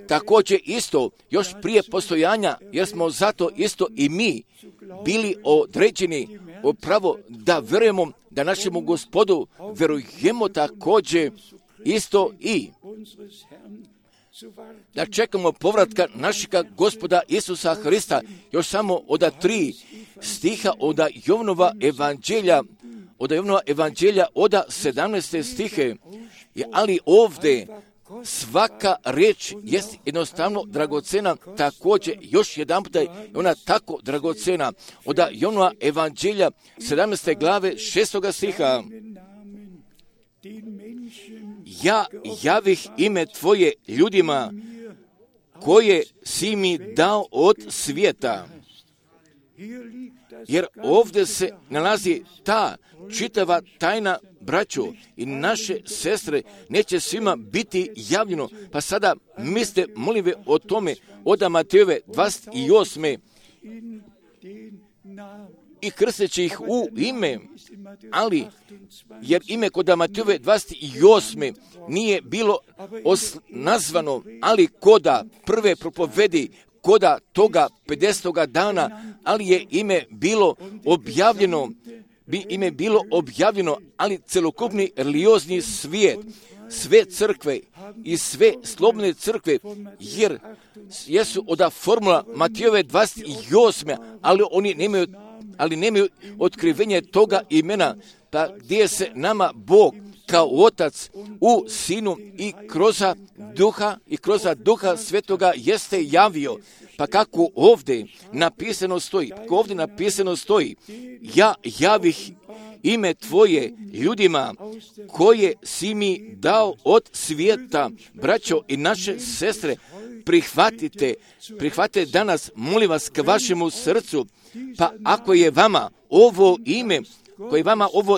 Također isto, još prije postojanja, jer smo zato isto i mi bili određeni upravo da vjerujemo da našemu Gospodu vjerujemo također isto i da čekamo povratka našega Gospoda Isusa Hrista, još samo od 3 stiha od Jovanova evanđelja od 17. stihe, ali ovdje svaka riječ jest jednostavno dragocena, također još jedan puta je ona tako dragocena. Od Jovanova evanđelja 17. glave 6. stiha. Ja javih ime Tvoje ljudima koje si mi dao od svijeta. Jer ovdje se nalazi ta čitava tajna, braćo i naše sestre, neće svima biti javljeno. Pa sada mislite, molim ve, o tome od Matejove 28. i krsteći ih u ime, ali jer ime kod Matejove 28. nije bilo nazvano, ali koda prve propovedi, koda toga 50. dana, ali je ime bilo objavljeno, ali celokupni religiozni svijet, sve crkve i sve slobodne crkve, jer jesu od formula Matejove 28. ali nemaju otkrivenje toga imena, pa gdje se nama Bog kao Otac u Sinu i kroz Duha Svetoga jeste javio. Pa kako ovdje napisano stoji, ja javih ime Tvoje ljudima koje si mi dao od svijeta. Braćo i naše sestre, prihvatite danas, molim vas, k vašemu srcu, pa ako je vama ovo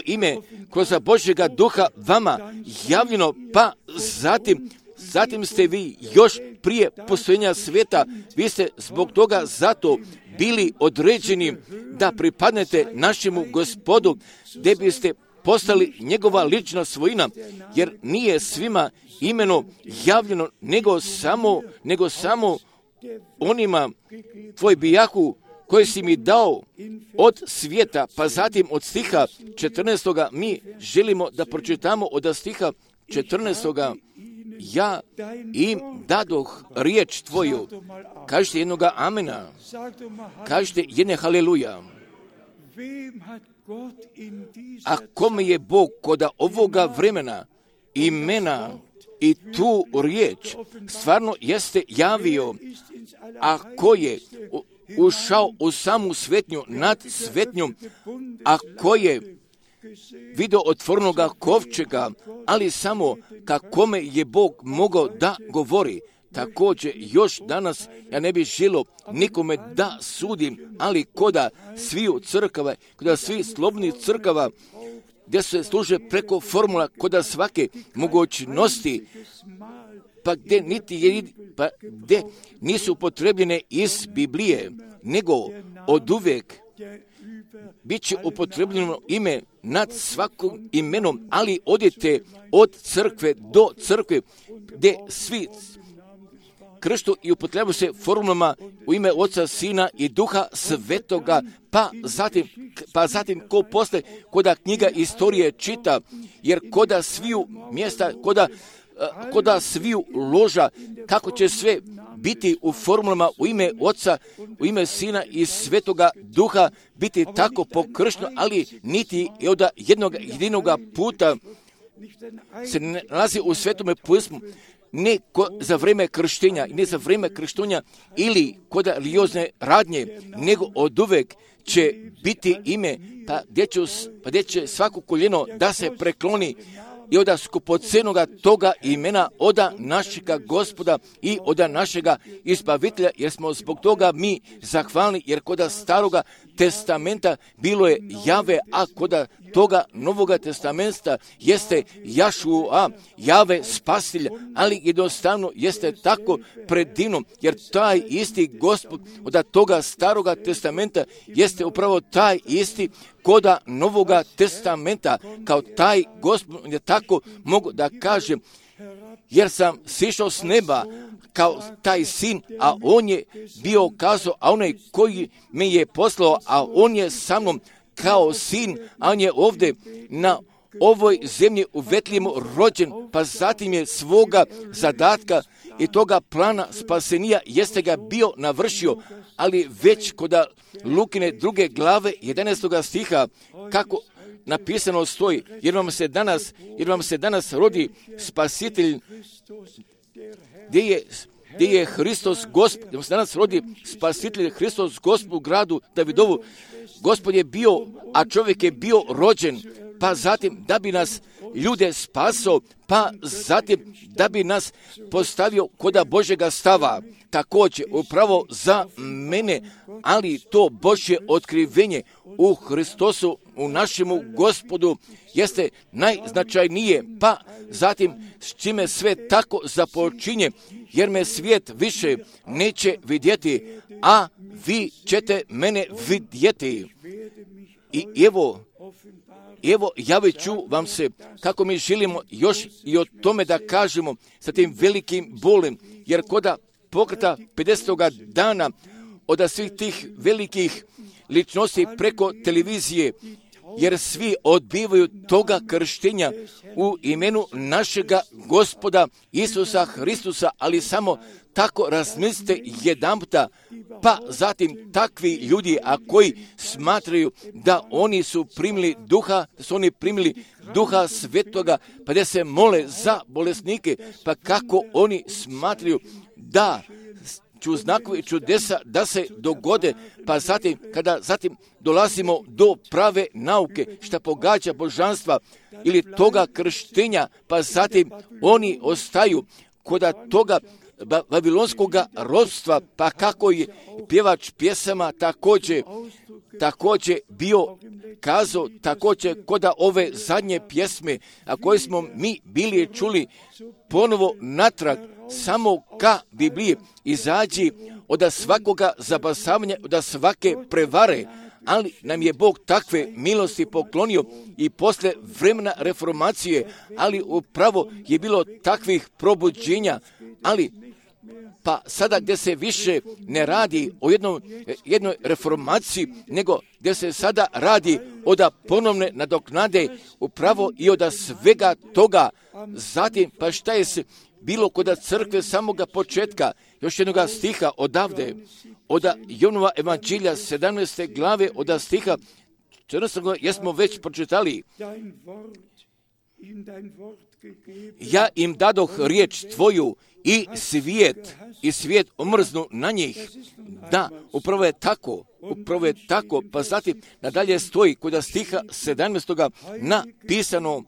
ime kroz Božjega duha vama javljeno, pa zatim ste vi još prije postojanja svijeta, vi ste zbog toga zato bili određeni da pripadnete našemu Gospodu, gdje biste postali njegova lična svojina, jer nije svima imeno javljeno, nego samo onima tvoj bijahu koje si mi dao od svijeta. Pa zatim od stiha 14. mi želimo da pročitamo od stiha 14. Ja im dadoh riječ Tvoju. Kažite jednoga amena. Kažite jedne haleluja. A kome je Bog kod ovoga vremena imena i tu riječ stvarno jeste javio, a ko je ušao u samu svetnju nad svetnjom, a ko je video otvornoga kovčega, ali samo kakome je Bog mogao da govori. Također, još danas ja ne bih želio nikome da sudim, ali koda sviju crkava, koda svi slobodnih crkava, gdje se služe preko formula, koda svake mogućnosti, pa gdje nisu upotrebljene iz Biblije, nego od uvijek bit će upotrebljeno ime nad svakom imenom, ali odete od crkve do crkve, gdje svi krštu i upotrebu se formulama u ime Oca, Sina i Duha Svetoga, pa zatim ko posle koda knjiga istorije čita, jer koda sviju mjesta, koda sviju loža, kako će sve biti u formulama u ime Oca, u ime Sina i Svetoga Duha, biti tako pokršteno, ali niti od jedinoga puta se nalazi u Svetome pismu, ne za vrijeme krštenja, ne za vrijeme krštenja ili kod religiozne radnje, nego od uvek će biti ime, pa gdje će svako koljeno da se prekloni i od skupocenoga toga imena, od našega Gospoda i od našega Izbavitelja, jer smo zbog toga mi zahvalni, jer kod Staroga testamenta bilo je Jave, a kod toga Novoga testamenta jeste Jašua, Jave Spasitelj, ali jednostavno jeste tako predivno, jer taj isti Gospod od toga Staroga testamenta jeste upravo taj isti koda Novoga testamenta, kao taj Gospod, je tako mogu da kažem, jer sam sišao s neba kao taj sin, a on je bio kazao, a onaj koji me je poslao, a on je sa mnom kao sin, a on je ovdje na ovoj zemlji u Vetlihemu rođen, pa zatim je svoga zadatka i toga plana spasenija jeste ga bio navršio, ali već kod Lukine 2. glave 11. stiha, kako napisano stoji, jer vam se danas rodi spasitelj, gdje je Hristos Gospod, gdje vam se danas rodi spasitelj Hristos Gospod u gradu Davidovu. Gospod je bio, a čovjek je bio rođen, pa zatim da bi nas ljude spasao, pa zatim da bi nas postavio koda Božjega stava. Također, upravo za mene, ali to Božje otkrivenje u Hristosu, u našemu Gospodu, jeste najznačajnije, pa zatim s čime sve tako započinje, jer me svijet više neće vidjeti, a vi ćete mene vidjeti. I evo, javit ću vam se kako mi želimo još i o tome da kažemo sa tim velikim bolem, jer koda pokreta 50. dana od svih tih velikih ličnosti preko televizije, jer svi odbivaju toga krštenja u imenu našega Gospoda Isusa Hristusa, ali samo tako razmislite jedanputa, pa zatim takvi ljudi, a koji smatraju da oni su primili Duha Svetoga, pa da se mole za bolesnike, pa kako oni smatraju da ću znakovi čudesa da se dogode, pa zatim dolazimo do prave nauke, šta pogađa božanstva ili toga krštenja, pa zatim oni ostaju kod toga babilonskoga ropstva, pa kako je pjevač pjesama također bio kazao, također kod ove zadnje pjesme, a koje smo mi bili čuli, ponovo natrag samo ka Bibliji, izađi od svakoga zabasavanja, od svake prevare, ali nam je Bog takve milosti poklonio i posle vremena reformacije, ali upravo je bilo takvih probuđenja, ali pa sada gdje se više ne radi o jednoj reformaciji, nego gdje se sada radi od ponovne nadoknade upravo i od svega toga. Zatim, pa šta je se bilo kod crkve samoga početka, još jednoga stiha odavde, od Jonova evanđelja 17. glave, od stiha 14. jesmo već pročitali. ja im dadoh riječ tvoju i svijet omrznu na njih. Da, upravo je tako, pa zatim nadalje stoji kod stiha 17. napisano: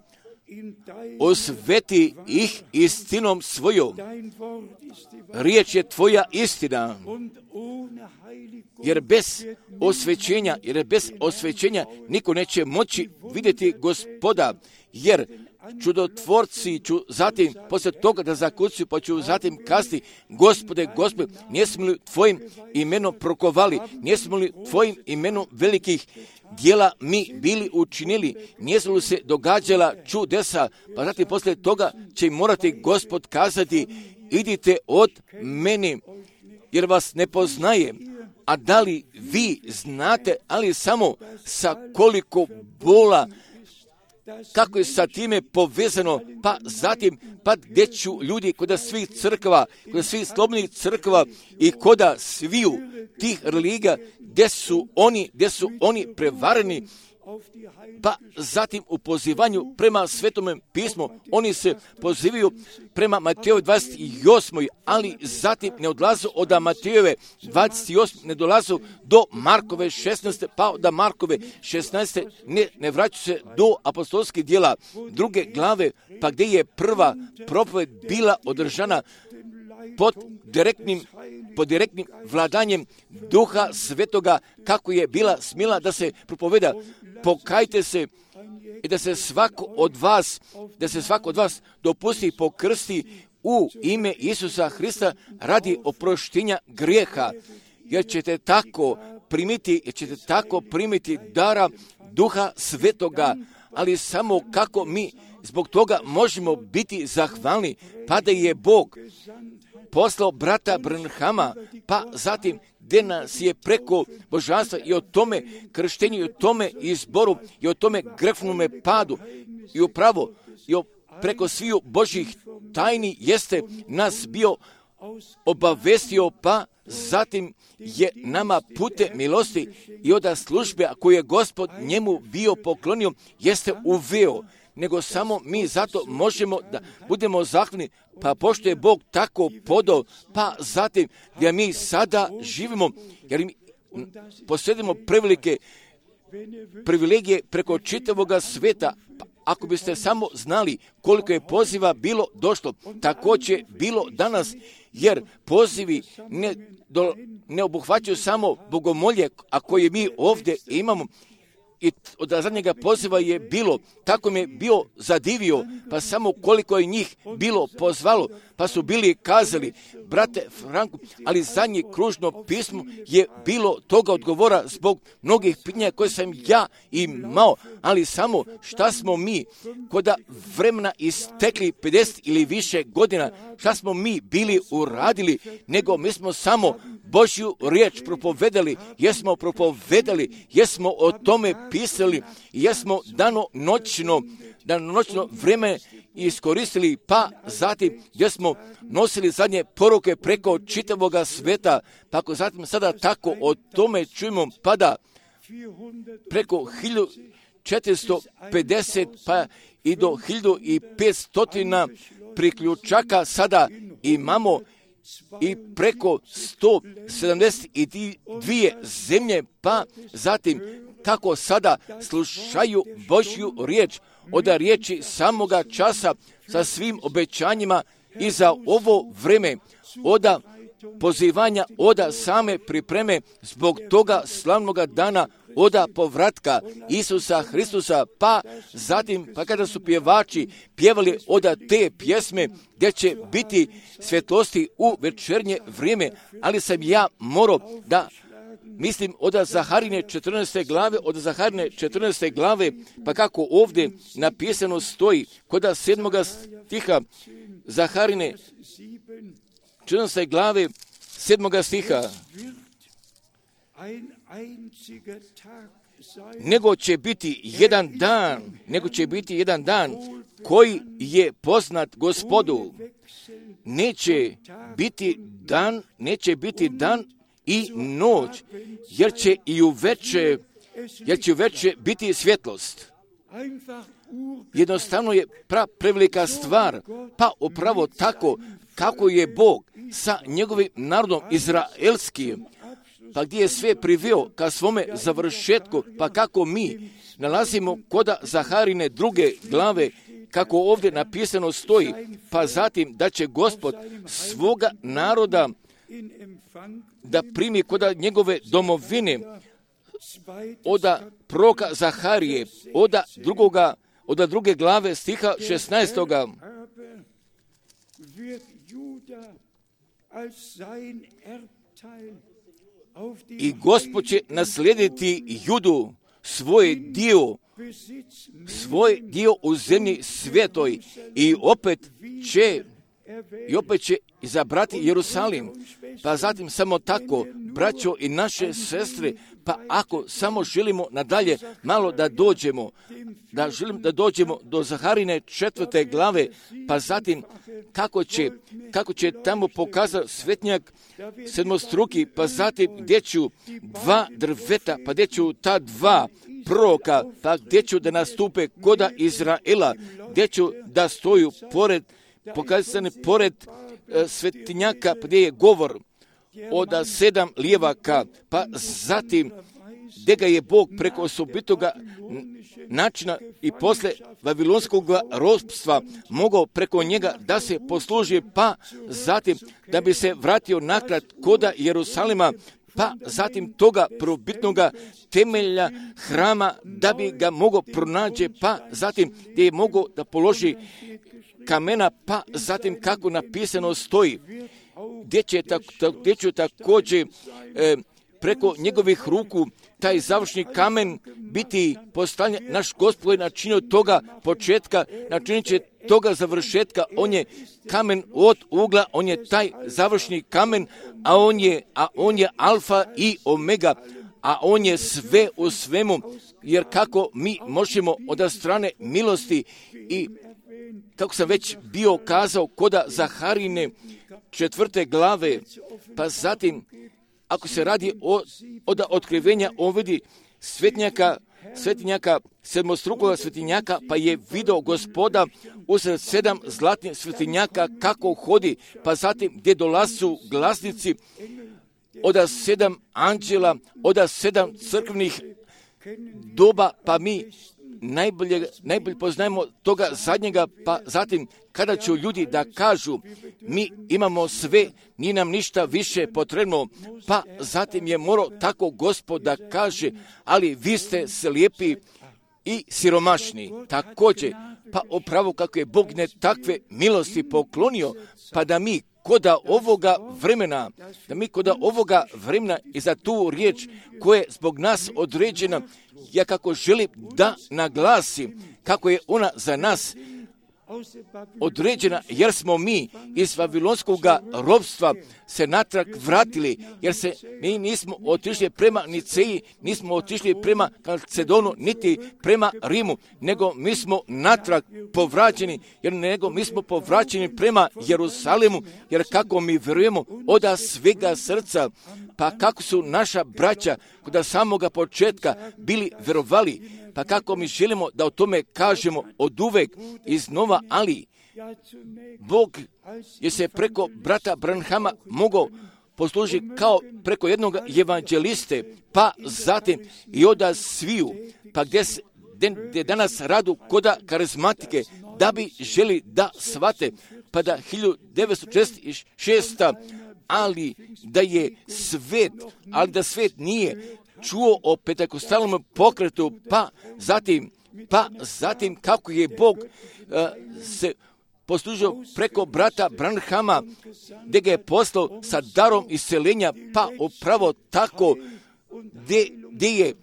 osveti ih istinom svojom, riječ je tvoja istina, jer bez osvećenja niko neće moći vidjeti Gospoda, jer čudotvorci ću zatim, poslije toga da zakucaju, pa ću zatim kasti: Gospode, nijesmo li tvojim imenom prokovali, nijesmo li tvojim imenom velikih djela mi bili učinili, nijesu li se događala čudesa, pa zatim poslije toga će morati Gospod kazati: idite od meni, jer vas ne poznajem. A da li vi znate, ali samo sa koliko bola, kako je sa time povezano, pa zatim, gdje ću ljudi kod svih crkva, kod svih slobodnih crkva i kod sviju tih religija, gdje su oni prevareni, pa zatim u pozivanju prema Svetome pismu, oni se pozivaju prema Matejove 28. ali zatim ne odlazu od Matejove 28. ne dolazu do Markove 16. pa od Markove 16. ne vraćaju se do apostolskih djela 2. glave, pa gdje je prva propoved bila održana pod direktnim vladanjem Duha Svetoga, kako je bila smjela da se propoveda: pokajte se i da se svako od vas dopusti pokrsti u ime Isusa Hrista radi oproštenja grijeha, jer ćete tako primiti dara Duha Svetoga. Ali samo kako mi zbog toga možemo biti zahvalni, pa da je Bog poslao brata Branhama, pa zatim gdje nas je preko božanstva i o tome krštenju, i o tome izboru, i o tome grefnome padu, i upravo preko sviju Božjih tajni jeste nas bio obavestio, pa zatim je nama putem milosti i od službe koju je Gospod njemu bio poklonio jeste uveo. Nego samo mi zato možemo da budemo zahvalni, pa pošto je Bog tako podao, pa zatim gdje mi sada živimo, jer mi posjedimo privilegije preko čitavoga sveta. Pa ako biste samo znali koliko je poziva bilo došlo, također bilo danas, jer pozivi ne obuhvaćaju samo bogomolje, a koje mi ovdje imamo. I od zadnjega poziva je bilo, tako me bio zadivio, pa samo koliko je njih bilo pozvalo, pa su bili kazali: brate Franku, ali zadnje kružno pismo je bilo toga odgovora zbog mnogih pitanja koje sam ja imao, ali samo šta smo mi koda vremena istekli 50 ili više godina, šta smo mi bili uradili, nego mi smo samo Božju riječ propovedali, jesmo o tome pisali, jesmo danonoćno vrijeme iskoristili, pa zatim gdje smo nosili zadnje poruke preko čitavoga sveta, pa ako zatim sada tako o tome čujemo, pada preko 1450 pa i do 1500 priključaka sada imamo, i preko 172 zemlje, pa zatim kako sada slušaju Božju riječ od riječi samoga časa sa svim obećanjima i za ovo vreme, od pozivanja, od same pripreme zbog toga slavnoga dana, od povratka Isusa Hristusa, pa zatim, pa kada su pjevači pjevali od te pjesme gdje će biti svjetlosti u večernje vrijeme, ali sam ja morao da mislim od Zaharine 14. glave, pa kako ovdje napisano stoji, kod 7. stiha Zaharine 14. glave 7. stiha: nego će biti jedan dan koji je poznat Gospodu. Neće biti dan i noć, jer će uveče biti svjetlost. Jednostavno je prevelika stvar, pa upravo tako kako je Bog sa njegovim narodom izraelskim, pa gdje je sve priveo ka svome završetku, pa kako mi nalazimo koda Zaharine 2. glave, kako ovdje napisano stoji, pa zatim da će Gospod svoga naroda da primi koda njegove domovine, oda proroka Zaharije, oda 2. glave stiha 16. I Gospod će naslijediti Judu, svoj dio u zemlji svetoj i opet će izabrati Jerusalim. Pa zatim samo tako, braćo i naše sestre, pa ako samo želimo nadalje malo da dođemo do Zaharine 4. glave, pa zatim kako će tamo pokazati svetnjak sedmostruki, pa zatim gdje ću 2 drveta, pa gdje ću ta 2 proroka, pa gdje ću da nastupe koda Izraela, gdje ću da stoju pored svetinjaka, gdje je govor od 7 lijevaka, pa zatim gdje ga je Bog preko osobitoga načina i posle vavilonskog ropstva mogao preko njega da se posluži, pa zatim da bi se vratio nakrad koda Jerusalima, pa zatim toga prvobitnoga temelja hrama da bi ga mogao pronaći, pa zatim gdje je mogao da položi kamena, pa zatim kako napisano stoji, gdje će također preko njegovih ruku taj završni kamen biti postavljen. Naš Gospod je načinio toga početka, načinit će toga završetka. On je kamen od ugla, on je taj završni kamen, a on je alfa i omega, a on je sve u svemu, jer kako mi možemo od strane milosti i kako sam već bio kazao koda Zaharine 4. glave, pa zatim ako se radi od otkrivenja on vidi svetinjaka, sedmostrukoga svetinjaka, pa je video Gospoda usred 7 zlatnih svetinjaka kako hodi, pa zatim gdje dolazu glasnici od 7 anđela, od 7 crkvenih doba, pa mi najbolje poznajemo toga zadnjega, pa zatim kada će ljudi da kažu mi imamo sve, nije nam ništa više potrebno, pa zatim je morao tako Gospod da kaže, ali vi ste slijepi i siromašni. Također, pa upravo kako je Bog ne takve milosti poklonio, pa da mi koda ovoga vremena i za tu riječ koja je zbog nas određena, ja kako želim da naglasim kako je ona za nas određena, jer smo mi iz vavilonskog ropstva se natrag vratili, jer mi nismo otišli prema Niceji, nismo otišli prema Kalcedonu, niti prema Rimu, nego mi smo natrag povraćeni, mi smo povraćeni prema Jerusalimu, jer kako mi vjerujemo od svega srca, pa kako su naša braća kod samoga početka bili vjerovali, pa kako mi želimo da o tome kažemo od uvek iznova, ali Bog je se preko brata Branhama mogao poslužiti kao preko jednog evanđeliste, pa zatim i od sviju, pa gdje danas radu koda karizmatike, da bi želi da shvate, pa da 1946. ali da svet nije čuo o pentekostalnom pokretu, pa zatim kako je Bog se poslužio preko brata Branhama, gdje ga je poslao sa darom isceljenja, pa upravo tako gdje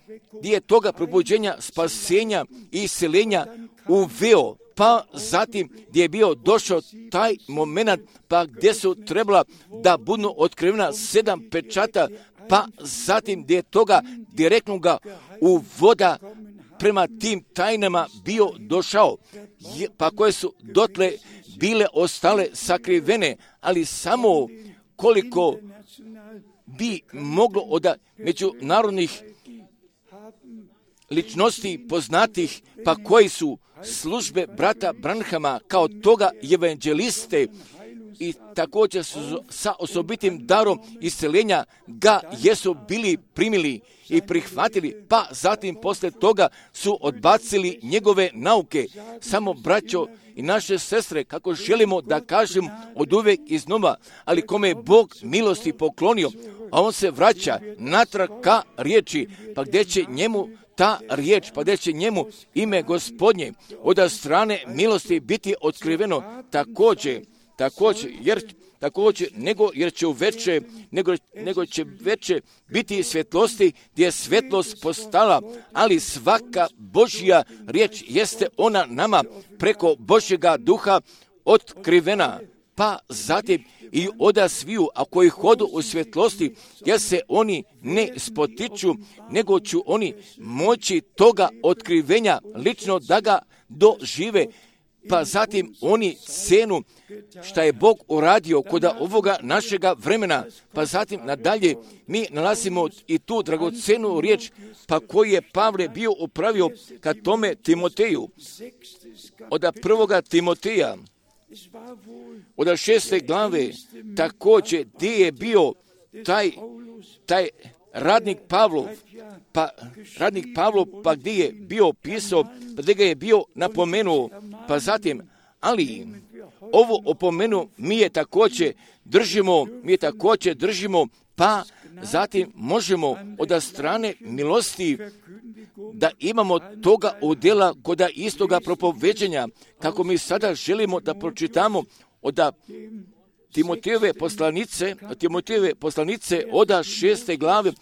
je toga probuđenja, spasenja i isceljenja uveo, pa zatim gdje je bio došao taj moment, pa gdje su trebala da budu otkrivena 7 pečata, pa zatim gdje je toga direktnoga uvoda prema tim tajnama bio došao, pa koje su dotle bile ostale sakrivene, ali samo koliko bi moglo od međunarodnih ličnosti poznatih, pa koji su službe brata Branhama kao toga evanđeliste i također sa osobitim darom isceljenja ga jesu bili primili i prihvatili, pa zatim posle toga su odbacili njegove nauke. Samo braćo i naše sestre, kako želimo da kažem od uvek iznova, ali kome je Bog milosti poklonio, a on se vraća natrag ka riječi, pa gdje će njemu ta riječ, pa gdje će njemu ime Gospodnje od strane milosti biti otkriveno nego će veće biti svjetlosti gdje je svjetlost postala, ali svaka Božja riječ jeste ona nama preko Božjega duha otkrivena. Pa zatim i oda sviju, a koji hodu u svjetlosti, jer se oni ne spotiču, nego ću oni moći toga otkrivenja lično da ga dožive. Pa zatim oni cenu šta je Bog uradio kod ovoga našega vremena. Pa zatim nadalje mi nalazimo i tu dragocenu riječ, pa koju je Pavle bio upravio ka tome Timoteju. Od 1. Timoteja, od 6. glave, također gdje je bio taj radnik Pavlov, pa gdje je bio pisao, pa gdje ga je bio napomenuo, pa zatim, ali ovo opomenu mi je također držimo, pa zatim možemo od strane milosti da imamo toga udjela kod istoga propoveđenja, kako mi sada želimo da pročitamo od Timotejeve poslanice od 6. glave,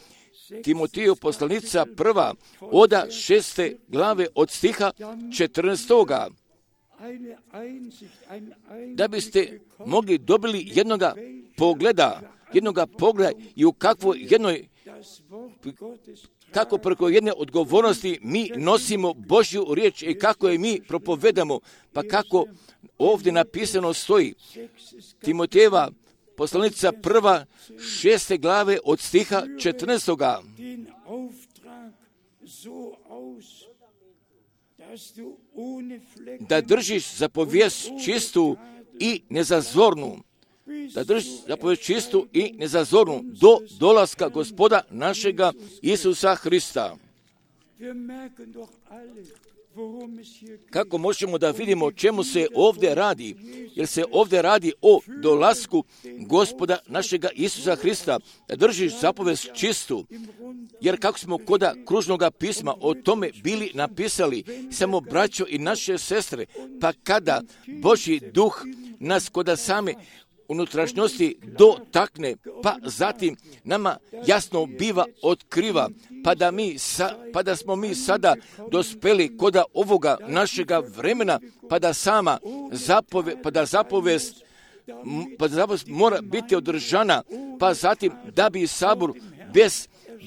Timoteju poslanica 1. od 6. glave od stiha 14. Da biste mogli dobili jednoga pogleda i u kako preko jedne odgovornosti mi nosimo Božju riječ i kako je mi propovedamo, pa kako ovdje napisano stoji. Timotejeva poslanica 1. 6. glave od stiha 14. Da držiš zapovijest čistu i nezazornu. Do dolaska Gospoda našega Isusa Hrista. Kako možemo da vidimo o čemu se ovdje radi? Jer se ovdje radi o dolasku Gospoda našega Isusa Hrista, da držiš zapovest čistu. Jer kako smo kod kružnoga pisma o tome bili napisali, samo braćo i naše sestre, pa kada Božji duh nas kod same unutrašnjosti dotakne, pa zatim nama jasno biva otkriva, pa da smo mi sada dospeli kod ovoga našega vremena, pa da zapovest mora biti održana, pa zatim da bi sabor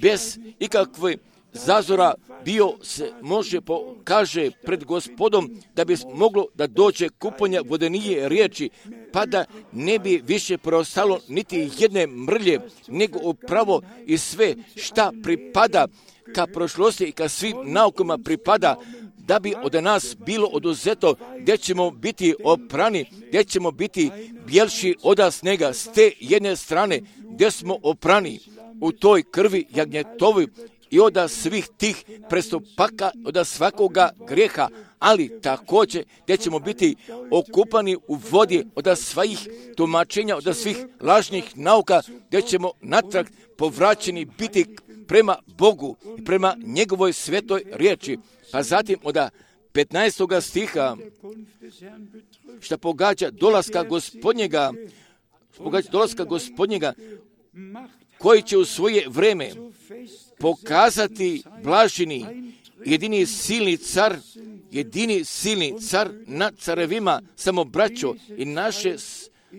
bez ikakve zazora bio se može pokaže pred Gospodom, da bi moglo da dođe kuponja vodenije riječi, pa da ne bi više preostalo niti jedne mrlje, nego upravo i sve šta pripada ka prošlosti i ka svim naukama pripada, da bi od nas bilo oduzeto, gdje ćemo biti oprani, gdje ćemo biti bjelši od snega s te jedne strane, gdje smo oprani u toj krvi jagnjetovoj i od svih tih prestupaka, od svakoga grijeha, ali također gdje ćemo biti okupani u vodi od svih tumačenja, od svih lažnih nauka, gdje ćemo natrag povraćeni biti prema Bogu i prema njegovoj svetoj riječi. Pa zatim od 15. stiha, što pogađa dolaska Gospodnjega, koji će u svoje vreme pokazati blaženi jedini silni car nad carevima, samo braćo i naše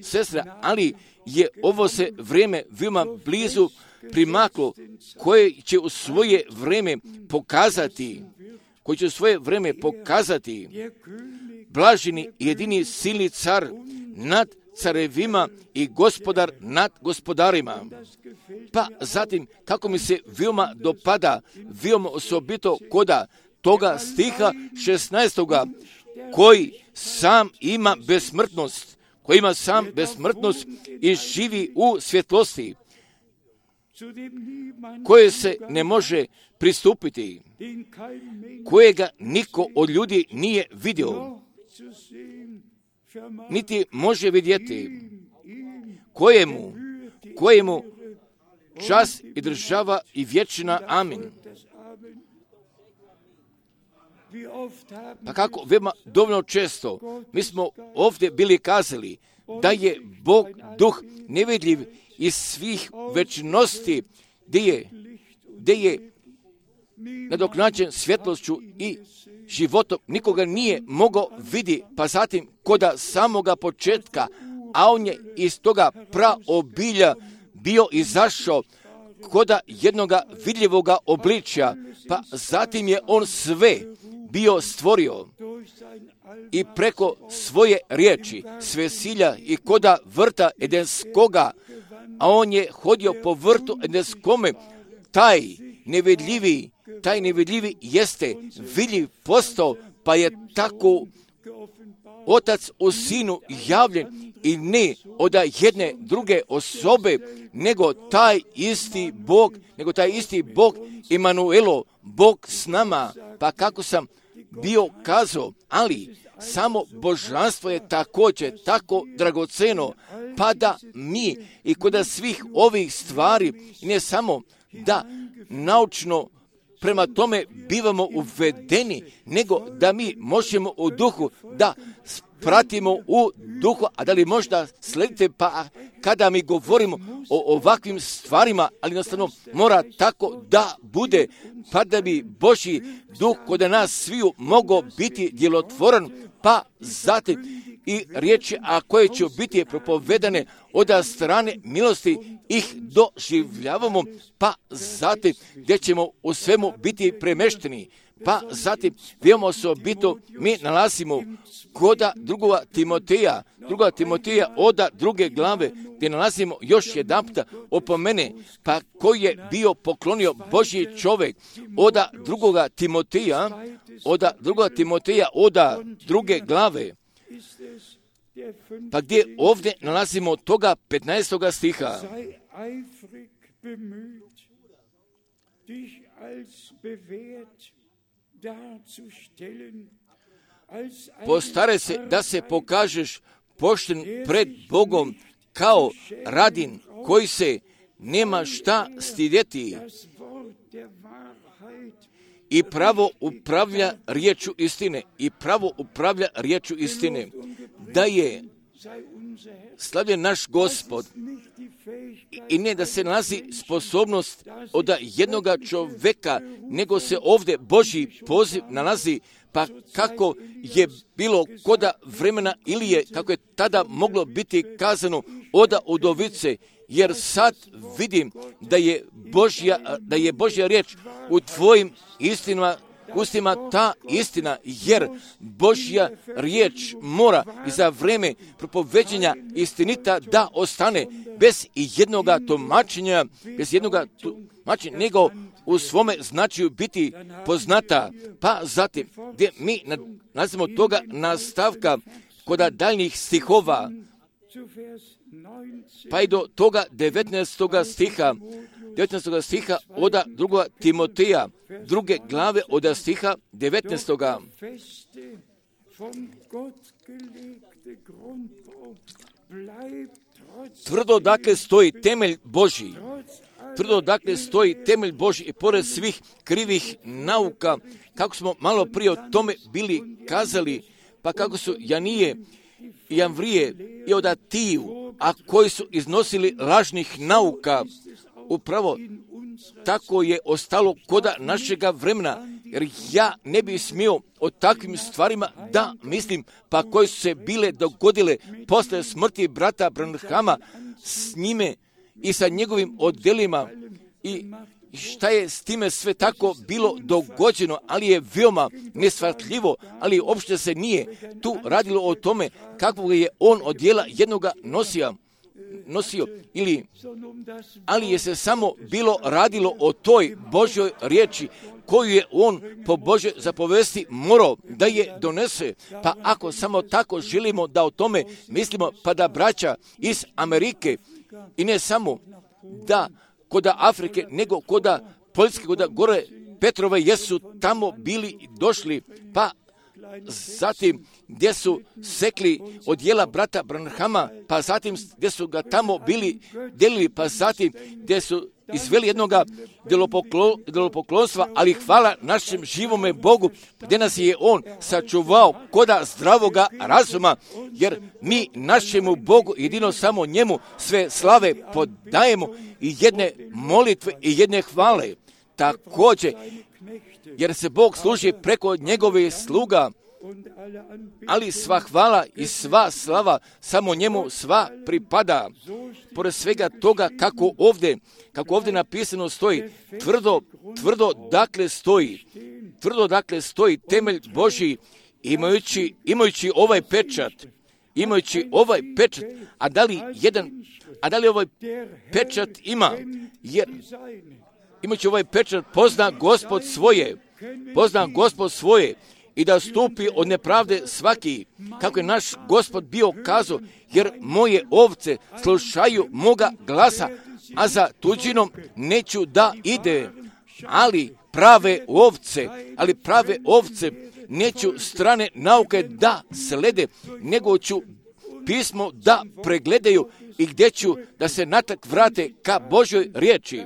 sestre, ali je ovo se vrijeme veoma blizu primaklo, koje će u svoje vrijeme pokazati blaženi jedini silni car nad carevima i gospodar nad gospodarima. Pa zatim, kako mi se veoma dopada, veoma osobito koda toga stiha 16. koji sam ima besmrtnost, koji ima sam besmrtnost i živi u svjetlosti, koje se ne može pristupiti, kojega niko od ljudi nije vidio, niti može vidjeti, kojemu čast i država i vječna amin. Pa kako veoma dovoljno često mi smo ovdje bili kazali da je Bog duh nevidljiv iz svih večnosti, gdje je nadoknađen svjetlošću i životom, nikoga nije mogao vidi, pa zatim koda samoga početka, a on je iz toga praobilja bio izašao koda jednoga vidljivoga obličja, pa zatim je on sve bio stvorio i preko svoje riječi, svesilja i koda vrta Edenskoga, a on je hodio po vrtu Edenskome, taj nevidljivi jeste vidljiv postao, pa je tako Otac u Sinu javljen i ne od jedne druge osobe, nego taj isti Bog Emanuelo, Bog s nama. Pa kako sam bio kazao, ali samo božanstvo je također tako dragoceno, pa da mi i kod svih ovih stvari, ne samo da naučno prema tome bivamo uvedeni, nego da mi možemo u duhu da pratimo u duhu, a da li možda sledite, pa kada mi govorimo o ovakvim stvarima, ali jednostavno mora tako da bude, pa da bi Božji duh kod nas sviju mogao biti djelotvoran, pa zatim i riječi, a koje će biti propovedane od strane milosti, ih doživljavamo, pa zatim gdje ćemo u svemu biti premešteni. Pa zatim veoma osobito mi nalazimo koda druga Timoteja od 2. glave, gdje nalazimo još jedan puta opomene, pa koji je bio poklonio Božji čovjek od 2. Timoteja od 2. glave, pa gdje ovdje nalazimo toga 15. stiha. Postare se da se pokažeš pošten pred Bogom kao radin koji se nema šta stidjeti i pravo upravlja riječu istine. Da je slavljen naš Gospod i ne da se nalazi sposobnost od jednoga čovjeka, nego se ovdje Božji poziv nalazi, pa kako je bilo koda vremena Ilije, kako je tada moglo biti kazano oda udovice, jer sad vidim da je Božja riječ u tvojim ustima ta istina, jer Božja riječ mora i za vrijeme propoveđenja istinita da ostane bez jednoga tumačenja, nego u svome značaju biti poznata. Pa zatim, gdje mi nalazimo toga nastavka kod daljnjih stihova, pa i do toga 19. stiha od 2. Timoteja, 2. glave od stiha 19. Tvrdo dakle stoji temelj Božji i pored svih krivih nauka, kako smo malo prije o tome bili kazali, pa kako su Janije i Jamvrije i Odatiju, a koji su iznosili lažnih nauka, upravo tako je ostalo koda našega vremena, jer ja ne bih smio o takvim stvarima da mislim, pa koje su se bile dogodile posle smrti brata Branhama s njime i sa njegovim odjelima i šta je s time sve tako bilo dogođeno, ali je veoma neshvatljivo, ali uopšte se nije tu radilo o tome kakvog je on odjela jednoga nosio, ali je se samo bilo radilo o toj Božjoj riječi koju je on po Božjoj zapovesti morao da je donese. Pa ako samo tako želimo da o tome mislimo, pa da braća iz Amerike i ne samo da kod Afrike, nego kod Poljske, kod gore Petrove jesu tamo bili došli, pa zatim gdje su sekli odjela brata Branhama, pa zatim gdje su ga tamo bili delili, pa zatim gdje su izveli jednoga idolopoklonstva, ali hvala našem živome Bogu, gdje nas je on sačuvao koda zdravoga razuma, jer mi našemu Bogu, jedino samo njemu, sve slave podajemo i jedne molitve i jedne hvale. Također, jer se Bog služi preko njegove sluga, ali sva hvala i sva slava samo njemu sva pripada. Pored svega toga kako ovdje napisano stoji, tvrdo dakle stoji temelj Božji, imajući ovaj pečat, a da li ovaj pečat ima, jer imajući ovaj pečat pozna Gospod svoje i da stupi od nepravde svaki, kako je naš Gospod bio kazao, jer moje ovce slušaju moga glasa, a za tuđinom neću da ide, ali prave ovce neću strane nauke da slede, nego ću pismo da pregledaju i gdje ću da se natrag vrate ka Božoj riječi.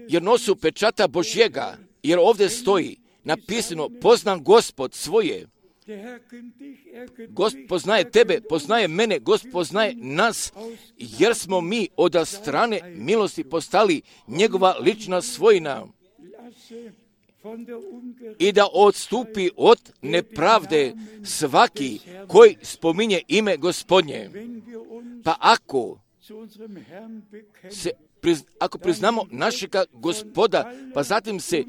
Jer nosu pečata Božjega, jer ovdje stoji napisano, poznam Gospod svoje. Gospod poznaje tebe, poznaje mene, Gospod poznaje nas, jer smo mi od strane milosti postali njegova lična svojina. I da odstupi od nepravde svaki koji spominje ime Gospodnje. Pa ako priznamo našega Gospoda, pa zatim se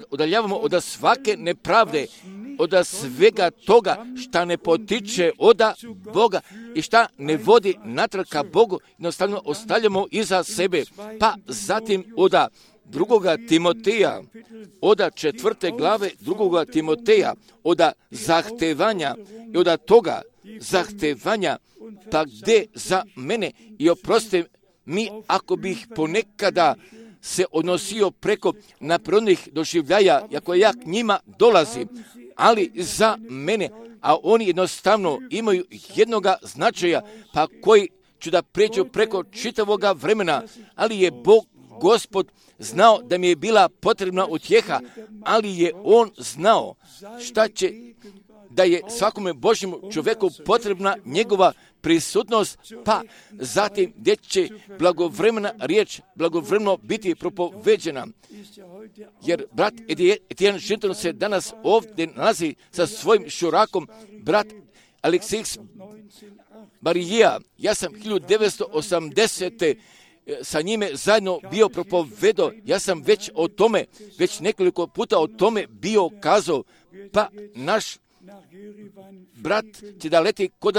udaljavamo od svake nepravde, od svega toga šta ne potiče od Boga i šta ne vodi natrag ka Bogu, jednostavno ostavljamo iza sebe. Pa zatim od 2. Timoteja, od 4. glave 2. Timoteja, od zahtevanja i od toga zahtevanja, pa gdje za mene i oproste mi ako bih ponekada se odnosio preko naprednih doživljaja, ako ja k njima dolazim, ali za mene, a oni jednostavno imaju jednoga značaja, pa koji ću da pređu preko čitavoga vremena, ali je Bog, Gospod, znao da mi je bila potrebna utjeha, ali je on znao šta će, da je svakome Božjemu čovjeku potrebna njegova prisutnost, pa zatim gdje će blagovremena riječ blagovremeno biti propoveđena. Jer brat Etienne Šinton se danas ovdje nalazi sa svojim šurakom, brat Aleksejs Barijija. Ja sam 1980. sa njime zajedno bio propovedao, ja sam već nekoliko puta o tome bio kazao, pa naš brat će da leti kod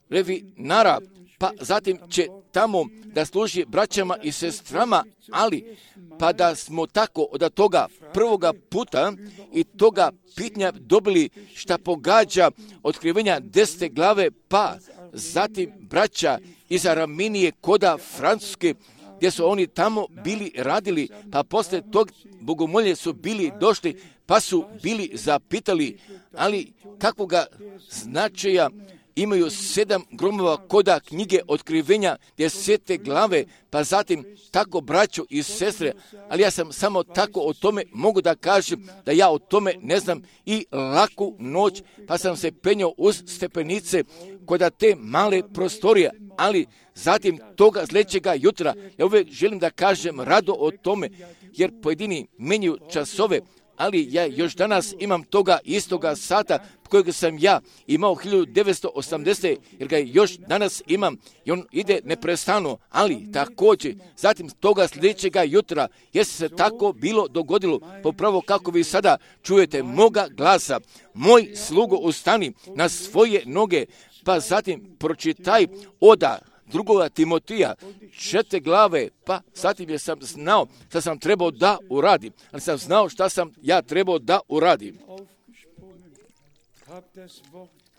Revinara, pa zatim će tamo da služi braćama i sestrama, ali pa da smo tako od toga prvoga puta i toga pitanja dobili šta pogađa otkrivenja 10. glave, pa zatim braća iz Araminije koda Francuske, gdje su oni tamo bili radili, pa posle tog bogomolje su bili došli, pa su bili zapitali, ali kakvoga značaja imaju 7 gromova koda knjige otkrivenja 10. glave, pa zatim tako braćo i sestre, ali ja sam samo tako o tome mogu da kažem da ja o tome ne znam i laku noć, pa sam se penjao uz stepenice koda te male prostorije, ali zatim toga sljedećega jutra, ja uvijek želim da kažem rado o tome, jer pojedini menjaju časove, ali ja još danas imam toga istoga sata kojeg sam ja imao 1980. jer ga još danas imam i on ide neprestano, ali također zatim toga sljedećega jutra je se tako bilo dogodilo, popravo kako vi sada čujete moga glasa, moj slugo ustani na svoje noge, pa zatim pročitaj oda 2. Timotija 4 glave, pa zatim je sam znao šta sam trebao da uradim, ali sam znao šta sam ja trebao da uradim.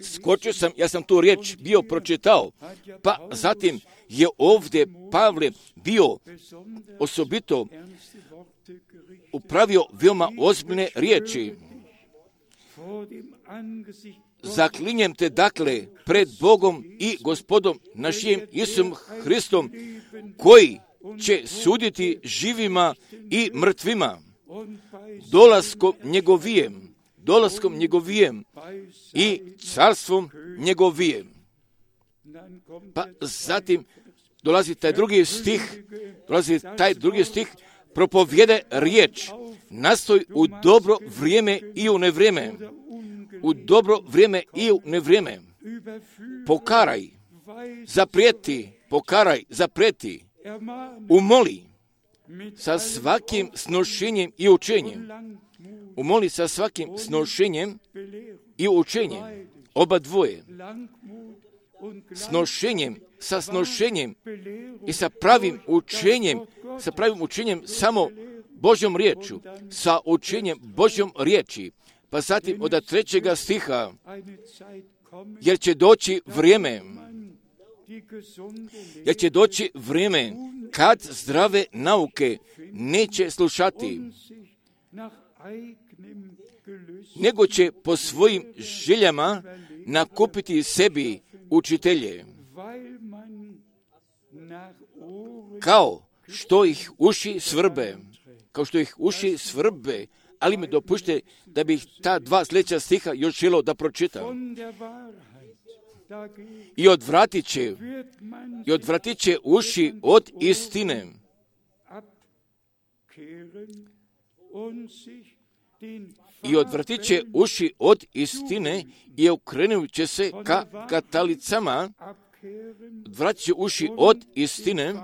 Skočio sam, ja sam tu riječ bio pročitao, pa zatim je ovdje Pavle bio osobito upravio veoma ozbiljne riječi. Zaklinjem te dakle pred Bogom i Gospodom našim Isusom Hristom, koji će suditi živima i mrtvima, dolaskom njegovijem i carstvom njegovijem. Pa zatim dolazi taj drugi stih, propovjede riječ, nastoj u dobro vrijeme i u nevrijeme. U dobro vrijeme i u nevrijeme. Pokaraj, zaprijeti, umoli sa svakim snošenjem i učenjem. Umoli sa svakim snošenjem i učenjem. Oba dvoje. Sa snošenjem i sa pravim učenjem samo Božjom riječu. Sa učenjem Božjom riječi. Pa zatim od 3. stiha, jer će doći vrijeme kad zdrave nauke neće slušati, nego će po svojim željama nakupiti sebi učitelje, kao što ih uši svrbe, ali mi dopušte da bih ta 2 sljedeća stiha još želio da pročitam. I odvratit će uši od istine. I okrenut će se ka katalicama. Odvratit će uši od istine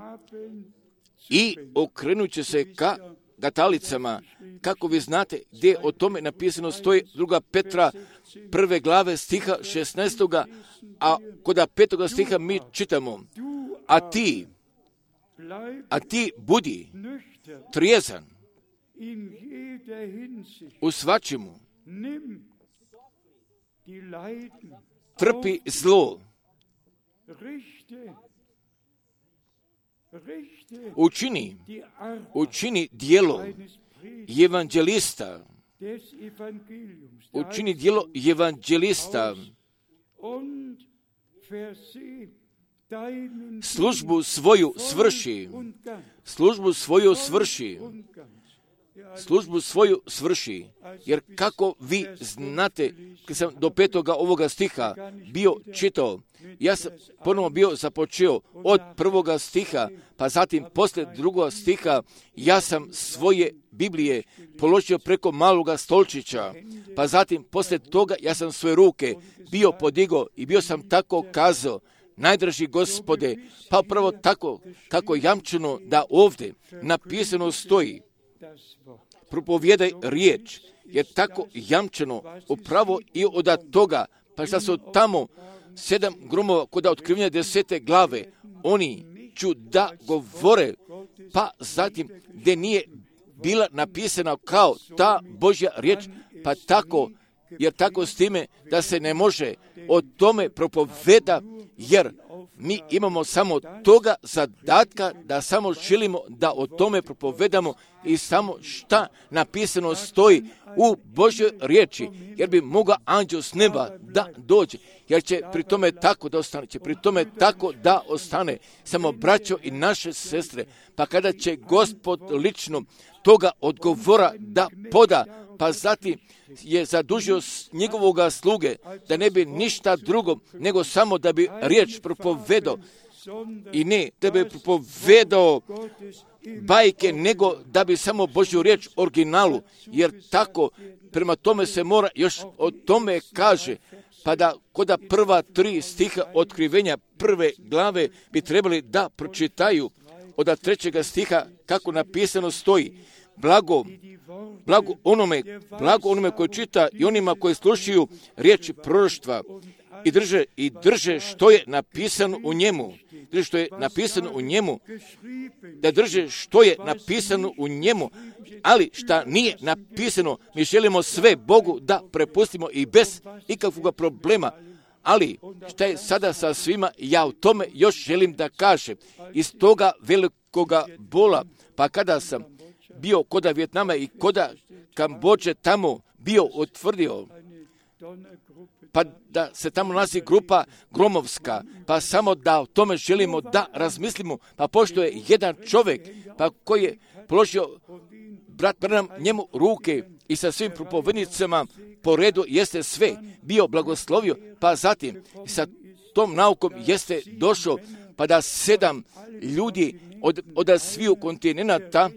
i okrenut će se ka katalicama. Kako vi znate gdje o tome napisano stoji 2. Petra 1. glave stiha 16. A kod 5. stiha mi čitamo, a ti budi trijezan u svačemu, trpi zlo, učini djelo evanđelista, službu svoju svrši, jer kako vi znate, kad sam do 5. ovoga stiha bio čitao, ja sam ponovno bio započeo od 1. stiha, pa zatim poslije 2. stiha, ja sam svoje Biblije položio preko maloga stolčića, pa zatim poslije toga ja sam svoje ruke bio podigao i bio sam tako kazao, najdraži Gospode, pa upravo tako kako jamčeno da ovdje napisano stoji, propovijedaj riječ, jer tako jamčeno upravo i od toga, pa šta su tamo 7 gromova kod otkrivanja 10. glave, oni ću da govore, pa zatim gdje nije bila napisana kao ta Božja riječ, pa tako, jer tako s time da se ne može o tome propoveda, jer mi imamo samo toga zadatka da samo želimo da o tome propovedamo i samo šta napisano stoji u Božjoj riječi, jer bi mogao anđeo s neba da dođe, jer će pri tome tako da ostane, samo braćo i naše sestre, pa kada će Gospod lično toga odgovora da poda, pa zatim je zadužio njegovoga sluge da ne bi ništa drugo nego samo da bi riječ propovedao i ne da bi propovedao bajke, nego da bi samo Božju riječ originalu, jer tako prema tome se mora još o tome kaže, pa da koda prva 3 stiha otkrivenja prve glave bi trebali da pročitaju od 3. stiha kako napisano stoji. Blago onome koji čita i onima koji slušaju riječi proroštva i drže što je napisano u njemu. Da drže što je napisano u njemu, ali šta nije napisano, mi želimo sve Bogu da prepustimo i bez ikakvog problema. Ali šta je sada sa svima, ja u tome još želim da kažem. Iz toga velikoga bola, pa kada sam bio koda Vijetnama i koda Kambođe tamo bio utvrdio, pa da se tamo nalazi grupa gromovska, pa samo da o tome želimo da razmislimo, pa pošto je jedan čovjek, pa koji je položio brat Branham njemu ruke i sa svim propovednicama po redu jeste sve bio blagoslovio, pa zatim sa tom naukom jeste došao, pa da 7 ljudi od sviju kontinenta,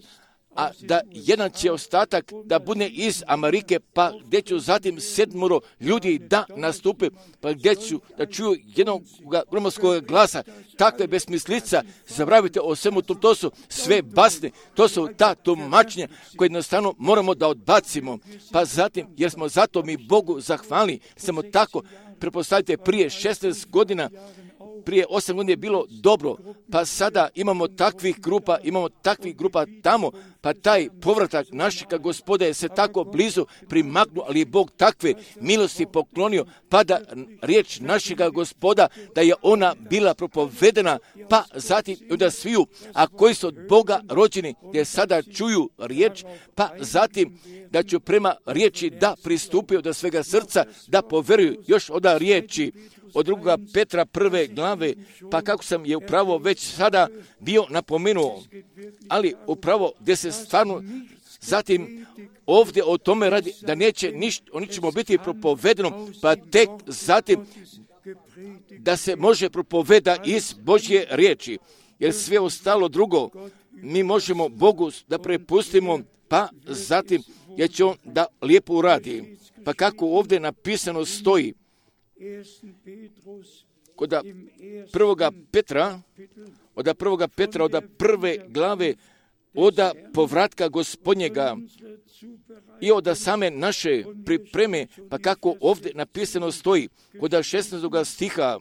a da jedan će ostatak da bude iz Amerike, pa gdje ću zatim 7 ljudi da nastupe, pa gdje ću da čuju jednog gromovskog glasa, takve besmislica, zaboravite o svemu tom, to su sve basne, to su ta tumačenja koje jednostavno moramo da odbacimo, pa zatim, jer smo zato mi Bogu zahvalni, samo tako, prepostavite prije 16 godina, prije 8 godina je bilo dobro, pa sada imamo takvih grupa tamo, pa taj povratak našega Gospoda je se tako blizu primaknuo, ali je Bog takve milosti poklonio, pa da riječ našega Gospoda, da je ona bila propovedena, pa zatim da sviju, a koji su od Boga rođeni, gdje sada čuju riječ, pa zatim da ću prema riječi da pristupio do svega srca, da poveruju još od riječi od 2. Petra 1. glave, pa kako sam je upravo već sada bio napomenuo, ali upravo gdje se stvarno zatim ovdje o tome radi, da neće o ničemu biti propovedeno, pa tek zatim da se može propoveda iz Božje riječi, jer sve ostalo drugo mi možemo Bogu da prepustimo, pa zatim jer će on da lijepo uradi. Pa kako ovdje napisano stoji, kod 1. Petra, od 1. glave, od povratka Gospodnjega i od same naše pripreme, pa kako ovdje napisano stoji, kod 16. stiha,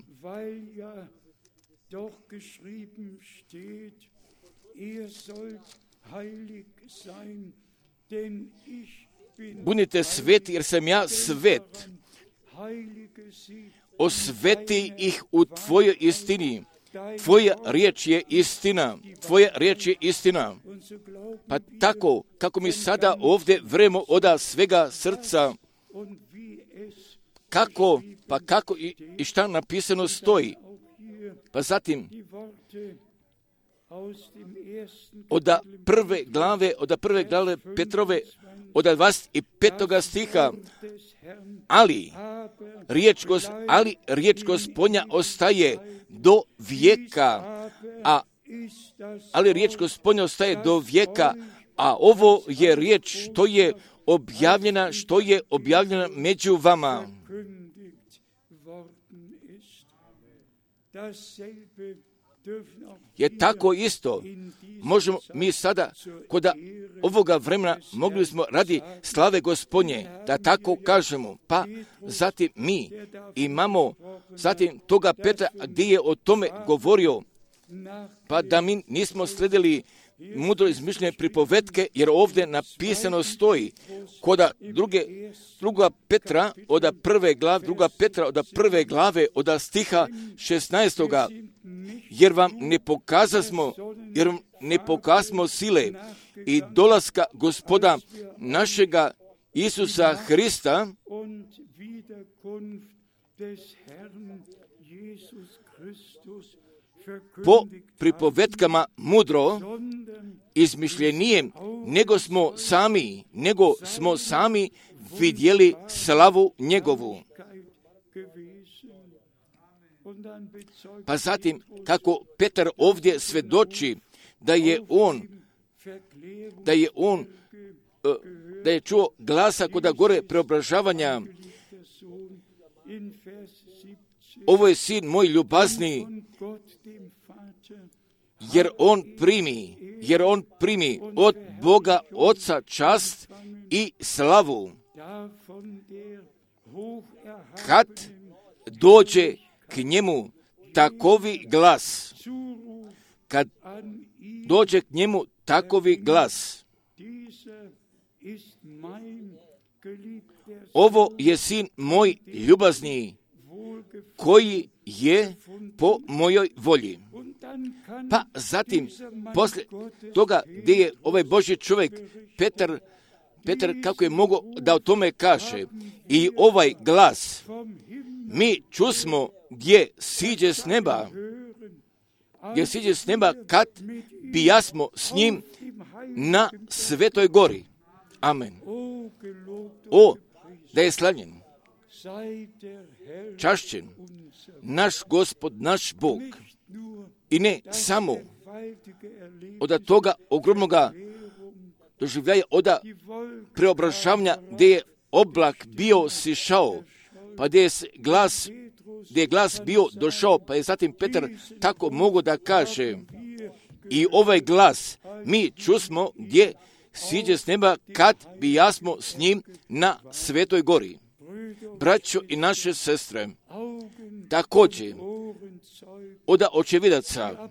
budite sveti jer sam ja svet. Osveti ih u tvojoj istini. Tvoja riječ je istina. Pa tako, kako mi sada ovdje vremo od svega srca, kako i šta napisano stoji. Pa zatim, od prve glave Petrove, od 25. stiha, ali riječ Gospodnja ostaje do vijeka, a ovo je riječ što je objavljena među vama. Je tako isto, možemo mi sada, kod ovoga vremena mogli smo radi slave Gospodnje, da tako kažemo, pa zatim mi imamo zatim toga Petra gdje je o tome govorio, pa da mi nismo sledili mudro izmišljene pripovetke, jer ovdje napisano stoji kod 2. Petra od 1. glave od stiha 16. jer vam ne pokazmo sile i dolaska Gospoda našega Isusa Hrista po pripovetkama mudro izmišljenijem, nego smo sami vidjeli slavu njegovu. Pa zatim, kako Petar ovdje svedoči da je on da je čuo glasa kod gore preobražavanja. Ovo je sin moj ljubazni, jer on primi od Boga Oca čast i slavu. Kad dođe k njemu takovi glas, ovo je sin moj ljubazni, koji je po mojoj volji. Pa zatim, poslije toga gdje je ovaj Božji čovjek, Petar, kako je mogao da o tome kaže, i ovaj glas, mi čusmo gdje siđe s neba, kad bijasmo s njim na Svetoj gori. Amen. O, da je slavljen, čašćen naš Gospod, naš Bog, i ne samo od toga ogromnoga doživljaja, od preobražavanja gdje je oblak bio sišao, pa gdje je glas bio došao, pa je zatim Petar tako mogu da kaže, i ovaj glas mi čusmo gdje siđe s neba, kad bijasmo s njim na Svetoj gori. Braćo i naše sestre, također od očevidaca,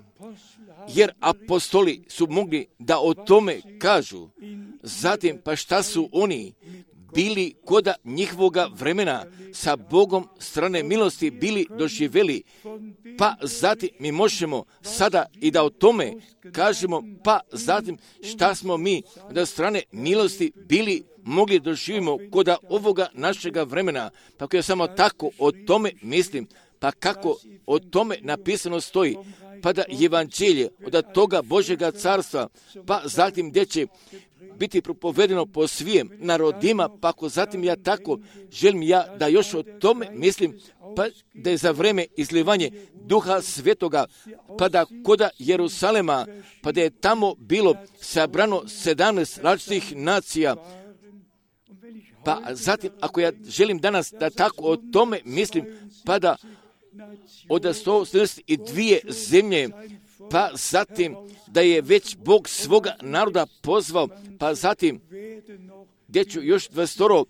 jer apostoli su mogli da o tome kažu. Zatim, pa šta su oni bili koda njihovoga vremena sa Bogom strane milosti bili doživjeli, pa zatim mi možemo sada i da o tome kažemo, pa zatim šta smo mi da strane milosti bili mogli doživimo koda ovoga našega vremena. Pa ako ja samo tako o tome mislim, pa kako o tome napisano stoji, pa da evanđelje od toga Božjega carstva, pa zatim gdje će biti propovedeno po svijem narodima, pa ako zatim ja tako želim da još o tome mislim, pa da je za vreme izlivanje Duha Svetoga, pa da koda Jerusalema, pa da je tamo bilo sabrano 17 različitih nacija. Pa zatim, ako ja želim danas da tako o tome mislim, pa da od 172 zemlje, pa zatim da je već Bog svoga naroda pozvao, pa zatim gdje ću još 20,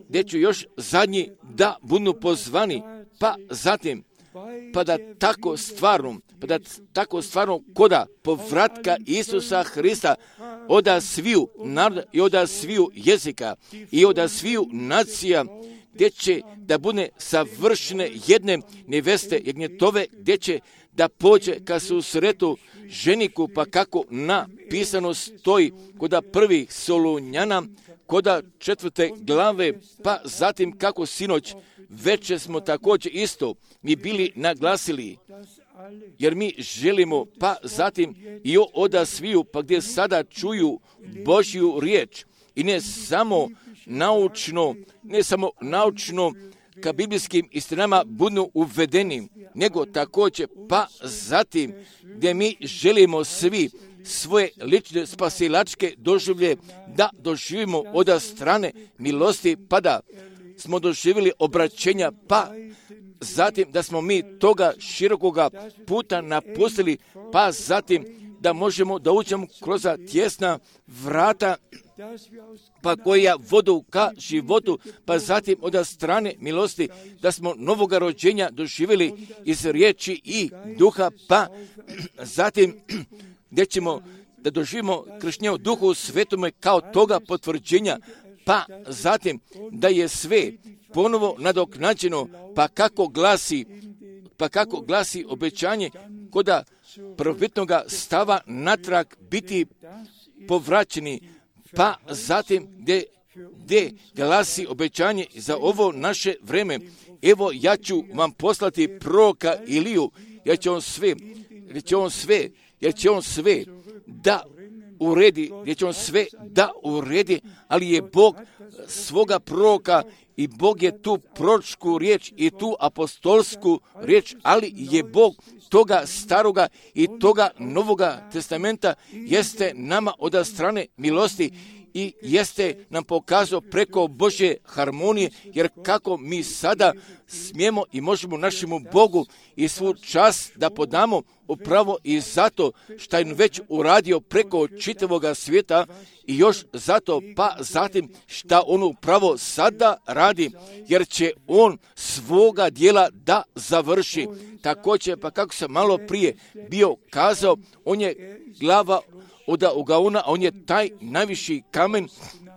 gdje ću još zadnji da budu pozvani, pa zatim pa da tako stvarno koda povratka Isusa Hrista od sviju naroda i od sviju jezika i od sviju nacija, gdje će da bude savršene jedne neveste jagnjetove, gdje će da pođe ka susretu ženiku, pa kako napisano stoji koda prvih Solunjana, koda 4. glave, pa zatim kako sinoć večer smo također isto mi bili naglasili, jer mi želimo, pa zatim i od sviju, pa gdje sada čuju Božju riječ, i ne samo naučno ka biblijskim istinama budu uvedeni, nego također, pa zatim gdje mi želimo svi svoje lične spasilačke doživlje da doživimo od strane milosti, pa da smo doživjeli obraćenja, pa zatim da smo mi toga širokoga puta napustili, pa zatim da možemo da uđemo kroz tjesna vrata, pa koja vodu ka životu, pa zatim od strane milosti da smo novoga rođenja doživjeli iz riječi i duha, pa zatim gdje ćemo da doživimo krštenje u Duhu Svetome kao toga potvrđenja, pa zatim da je sve ponovo nadoknađeno, pa kako glasi obećanje koda prvobitnoga stava natrag biti povraćeni, pa zatim gdje glasi obećanje za ovo naše vreme. Evo, ja ću vam poslati proroka Iliju, jer će on sve da uredi, gdje će on sve da uredi, ali je Bog svoga proroka i Bog je tu proročku riječ i tu apostolsku riječ, ali je Bog toga staroga i toga novoga testamenta jeste nama od strane milosti i jeste nam pokazao preko Božje harmonije, jer kako mi sada smijemo i možemo našemu Bogu i svu čast da podamo upravo i zato što je već uradio preko čitavoga svijeta i još zato pa zatim što on upravo sada radi, jer će on svoga dijela da završi. Također, pa kako sam malo prije bio kazao, on je glava od ugaona, a on je taj najviši kamen,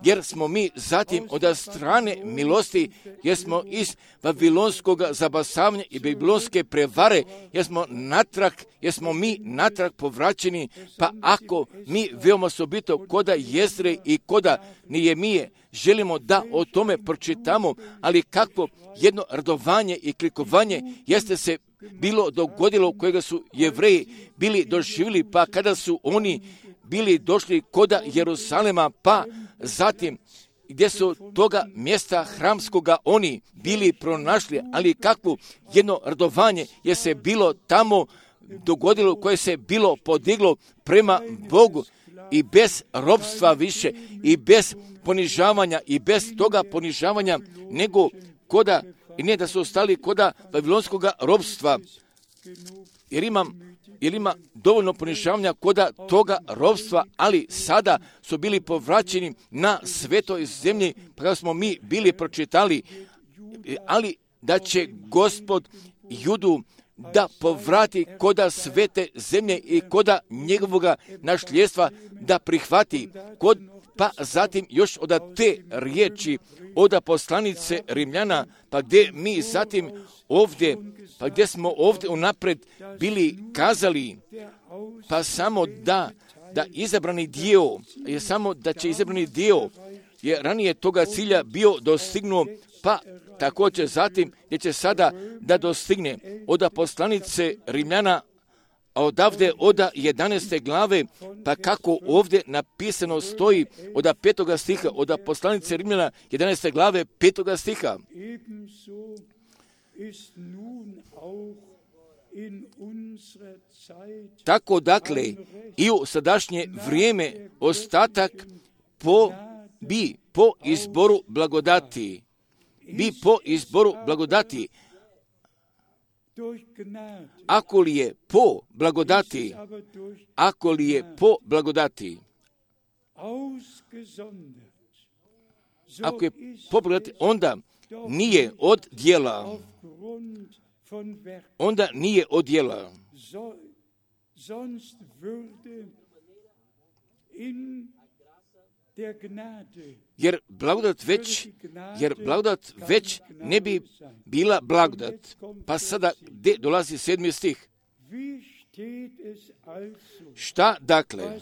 jer smo mi zatim od strane milosti, jer smo iz vavilonskog zabasavanja i babilonske prevare, jer smo mi natrag povraćeni, pa ako mi veoma osobito koda Jezre i koda Nehemije želimo da o tome pročitamo, ali kako jedno radovanje i klikovanje jeste se bilo dogodilo kojega su Jevreji bili doživjeli, pa kada su oni bili došli koda Jerusalema, pa zatim gdje su toga mjesta hramskoga oni bili pronašli, ali kakvo jedno radovanje je se bilo tamo dogodilo, koje se bilo podiglo prema Bogu i bez robstva više i bez ponižavanja i bez toga ponižavanja nego koda, i ne da su ostali koda vavilonskoga robstva, jer ima dovoljno ponižavanja koda toga robstva, ali sada su bili povraćeni na svetoj zemlji, pa kada smo mi bili pročitali, ali da će Gospod Judu da povrati koda svete zemlje i koda njegovoga nasljedstva da prihvati, pa zatim još od te riječi od poslanice Rimljana, pa gdje mi zatim ovdje, pa gdje smo ovdje unaprijed bili kazali, pa samo da izabrani dio, je samo da će izabrani dio, je ranije toga cilja bio dostignuo, pa također zatim gdje će sada da dostigne od poslanice Rimljana, a odavde od 11. glave, pa kako ovdje napisano stoji od 5. stiha, od poslanice Rimljana 11. glave 5. stiha. Tako dakle i u sadašnje vrijeme ostatak po izboru blagodati. Po izboru blagodati. Ako li je po blagodati, ako je po blagodati, onda nije od djela. Jer blagodat već ne bi bila blagodat. Pa sada gdje dolazi 7. stih? Šta dakle?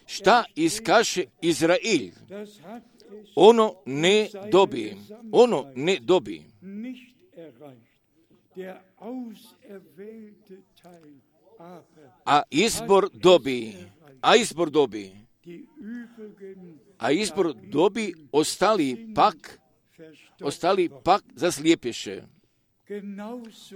Šta iskaše Izrael? Ono ne dobi. A izbor dobi, ostali pak zaslijepješe.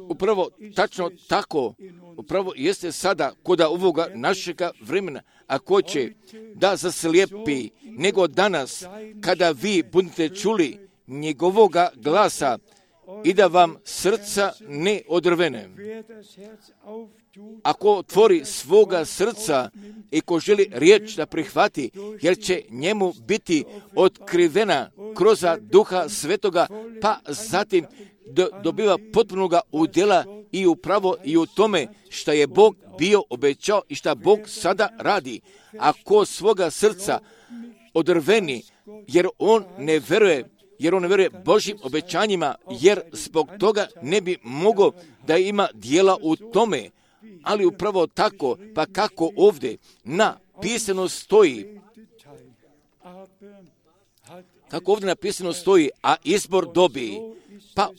Upravo tačno tako, upravo jeste sada koda ovoga našega vremena, ako će da zaslijepi nego danas, kada vi budete čuli njegovoga glasa i da vam srca ne odrvene. Ako otvori svoga srca i ko želi riječ da prihvati, jer će njemu biti otkrivena kroz Duha Svetoga, pa zatim dobiva potpunoga udjela i upravo i u tome što je Bog bio obećao i što Bog sada radi. Ako svoga srca odrveni, jer on ne veruje Božjim obećanjima, jer zbog toga ne bi mogao da ima dijela u tome. Ali upravo tako, pa kako napisano stoji, a izbor dobi, pa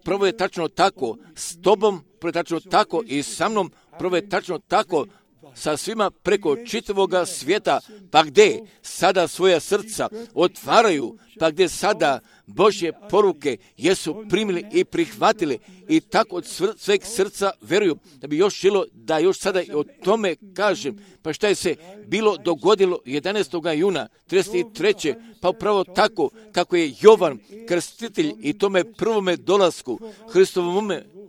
prvo je tačno tako s tobom, prvo je tačno tako i sa mnom, prvo je tačno tako sa svima preko čitavoga svijeta, pa gdje sada svoja srca otvaraju, pa gdje sada Božje poruke jesu primili i prihvatili i tako od sveg srca veruju, da bi još želo da još sada i o tome kažem. Pa šta je se bilo dogodilo 11. juna 33. pa upravo tako kako je Jovan krstitelj i tome prvome dolasku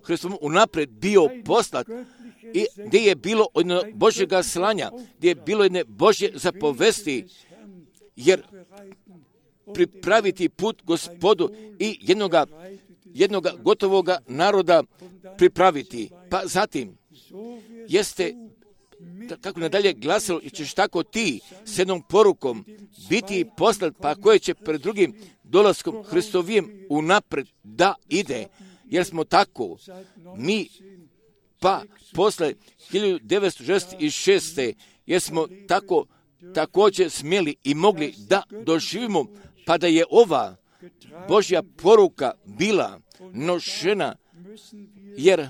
Hristovom unaprijed bio poslat i gdje je bilo jedno Božjega slanja, gdje je bilo jedne Božje zapovesti, jer pripraviti put Gospodu i jednoga gotovoga naroda pripraviti. Pa zatim jeste, kako nadalje glasilo, i ćeš tako ti s jednom porukom biti poslat, pa koje će pred drugim dolaskom Hristovijem unapred da ide, jer smo tako mi pa posle 1966. jer smo tako također smjeli i mogli da doživimo, pa da je ova Božja poruka bila nošena, jer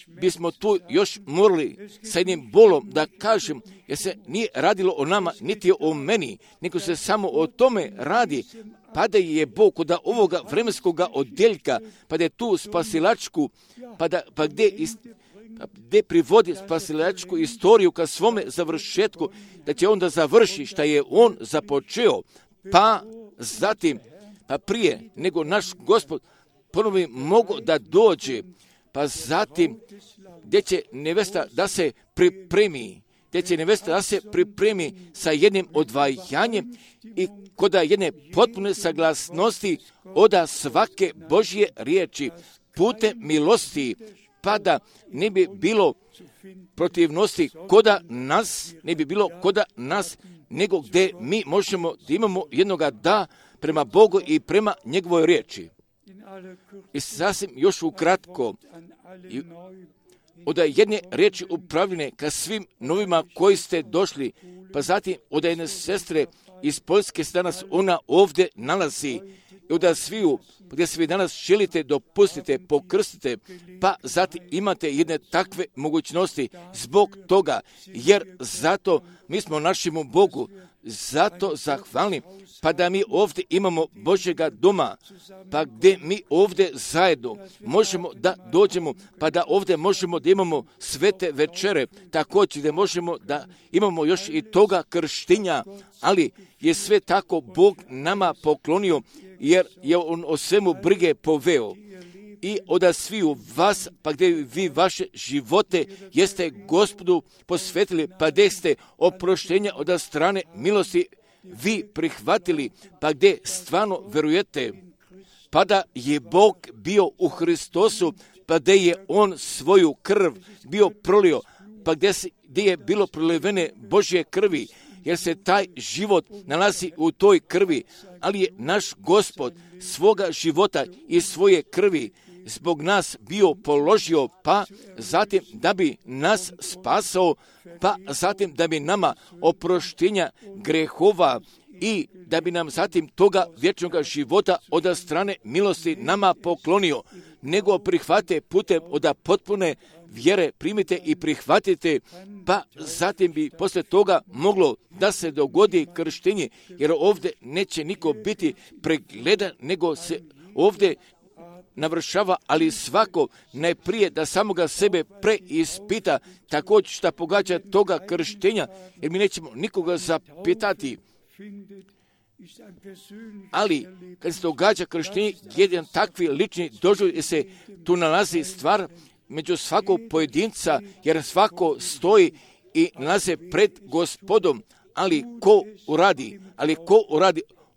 bismo tu još morali sa jednim bolom da kažem, jer se nije radilo o nama, niti o meni, nego se samo o tome radi, pa da je Bog kod ovoga vremenskoga odjeljka, pa da je tu spasilačku, pa gdje privodi spasilačku istoriju ka svome završetku, da će onda završi šta je on započeo, pa zatim, pa prije nego naš Gospod ponovi mogu da dođe, pa zatim gdje će nevesta da se pripremi, sa jednim odvajanjem i kod jedne potpune saglasnosti oda svake Božje riječi putem milosti, pa da ne bi bilo protivnosti koda nas, nego gdje mi možemo da imamo jednoga da prema Bogu i prema njegovoj riječi. I sasvim još ukratko, od jedne riječi upravljene ka svim novima koji ste došli, pa zatim od jedne sestre iz Poljske se danas ona ovdje nalazi, i od sviju, gdje se vi danas želite, dopustite, pokrstite, pa zatim imate jedne takve mogućnosti zbog toga, jer zato mi smo našemu Bogu zato zahvalni, pa da mi ovdje imamo Božjega doma, pa gdje mi ovdje zajedno možemo da dođemo, pa da ovdje možemo da imamo svete večere, također gdje možemo da imamo još i toga krštenja, ali je sve tako Bog nama poklonio, jer je on o svemu brige poveo. I od sviju vas, pa gdje vi vaše živote jeste Gospodu posvetili, pa gdje ste oproštenja od strane milosti vi prihvatili, pa gdje stvarno verujete, pa da je Bog bio u Hristosu, pa gdje je on svoju krv bio prolio, pa gdje je bilo prolivene Božje krvi, jer se taj život nalazi u toj krvi, ali je naš Gospod svoga života i svoje krvi zbog nas bio položio, pa zatim da bi nas spasao, pa zatim da bi nama oproštenja grehova i da bi nam zatim toga vječnog života od strane milosti nama poklonio, nego prihvate putem od potpune vjere, primite i prihvatite, pa zatim bi poslije toga moglo da se dogodi krštenje, jer ovdje neće niko biti pregledan, nego se ovdje navršava, ali svako najprije da samoga sebe preispita, također šta pogađa toga krštenja, jer mi nećemo nikoga zapitati. Ali kad se događa krštenje, jedan takvi lični doživljaj se tu nalazi stvar među svakog pojedinca, jer svako stoji i nalaze pred Gospodom, ali ko uradi?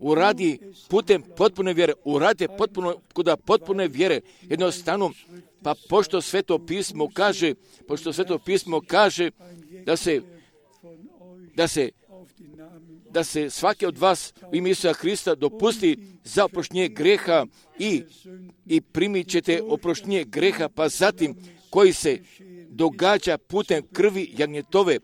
Uradi putem potpune vjere, uradite kod potpune vjere, jednostavno, pa pošto Sveto pismo kaže da se svaki od vas u ime Isusa Hrista dopusti za oproštenje greha i primit ćete oproštenje greha, pa zatim koji se događa putem krvi jagnjetove,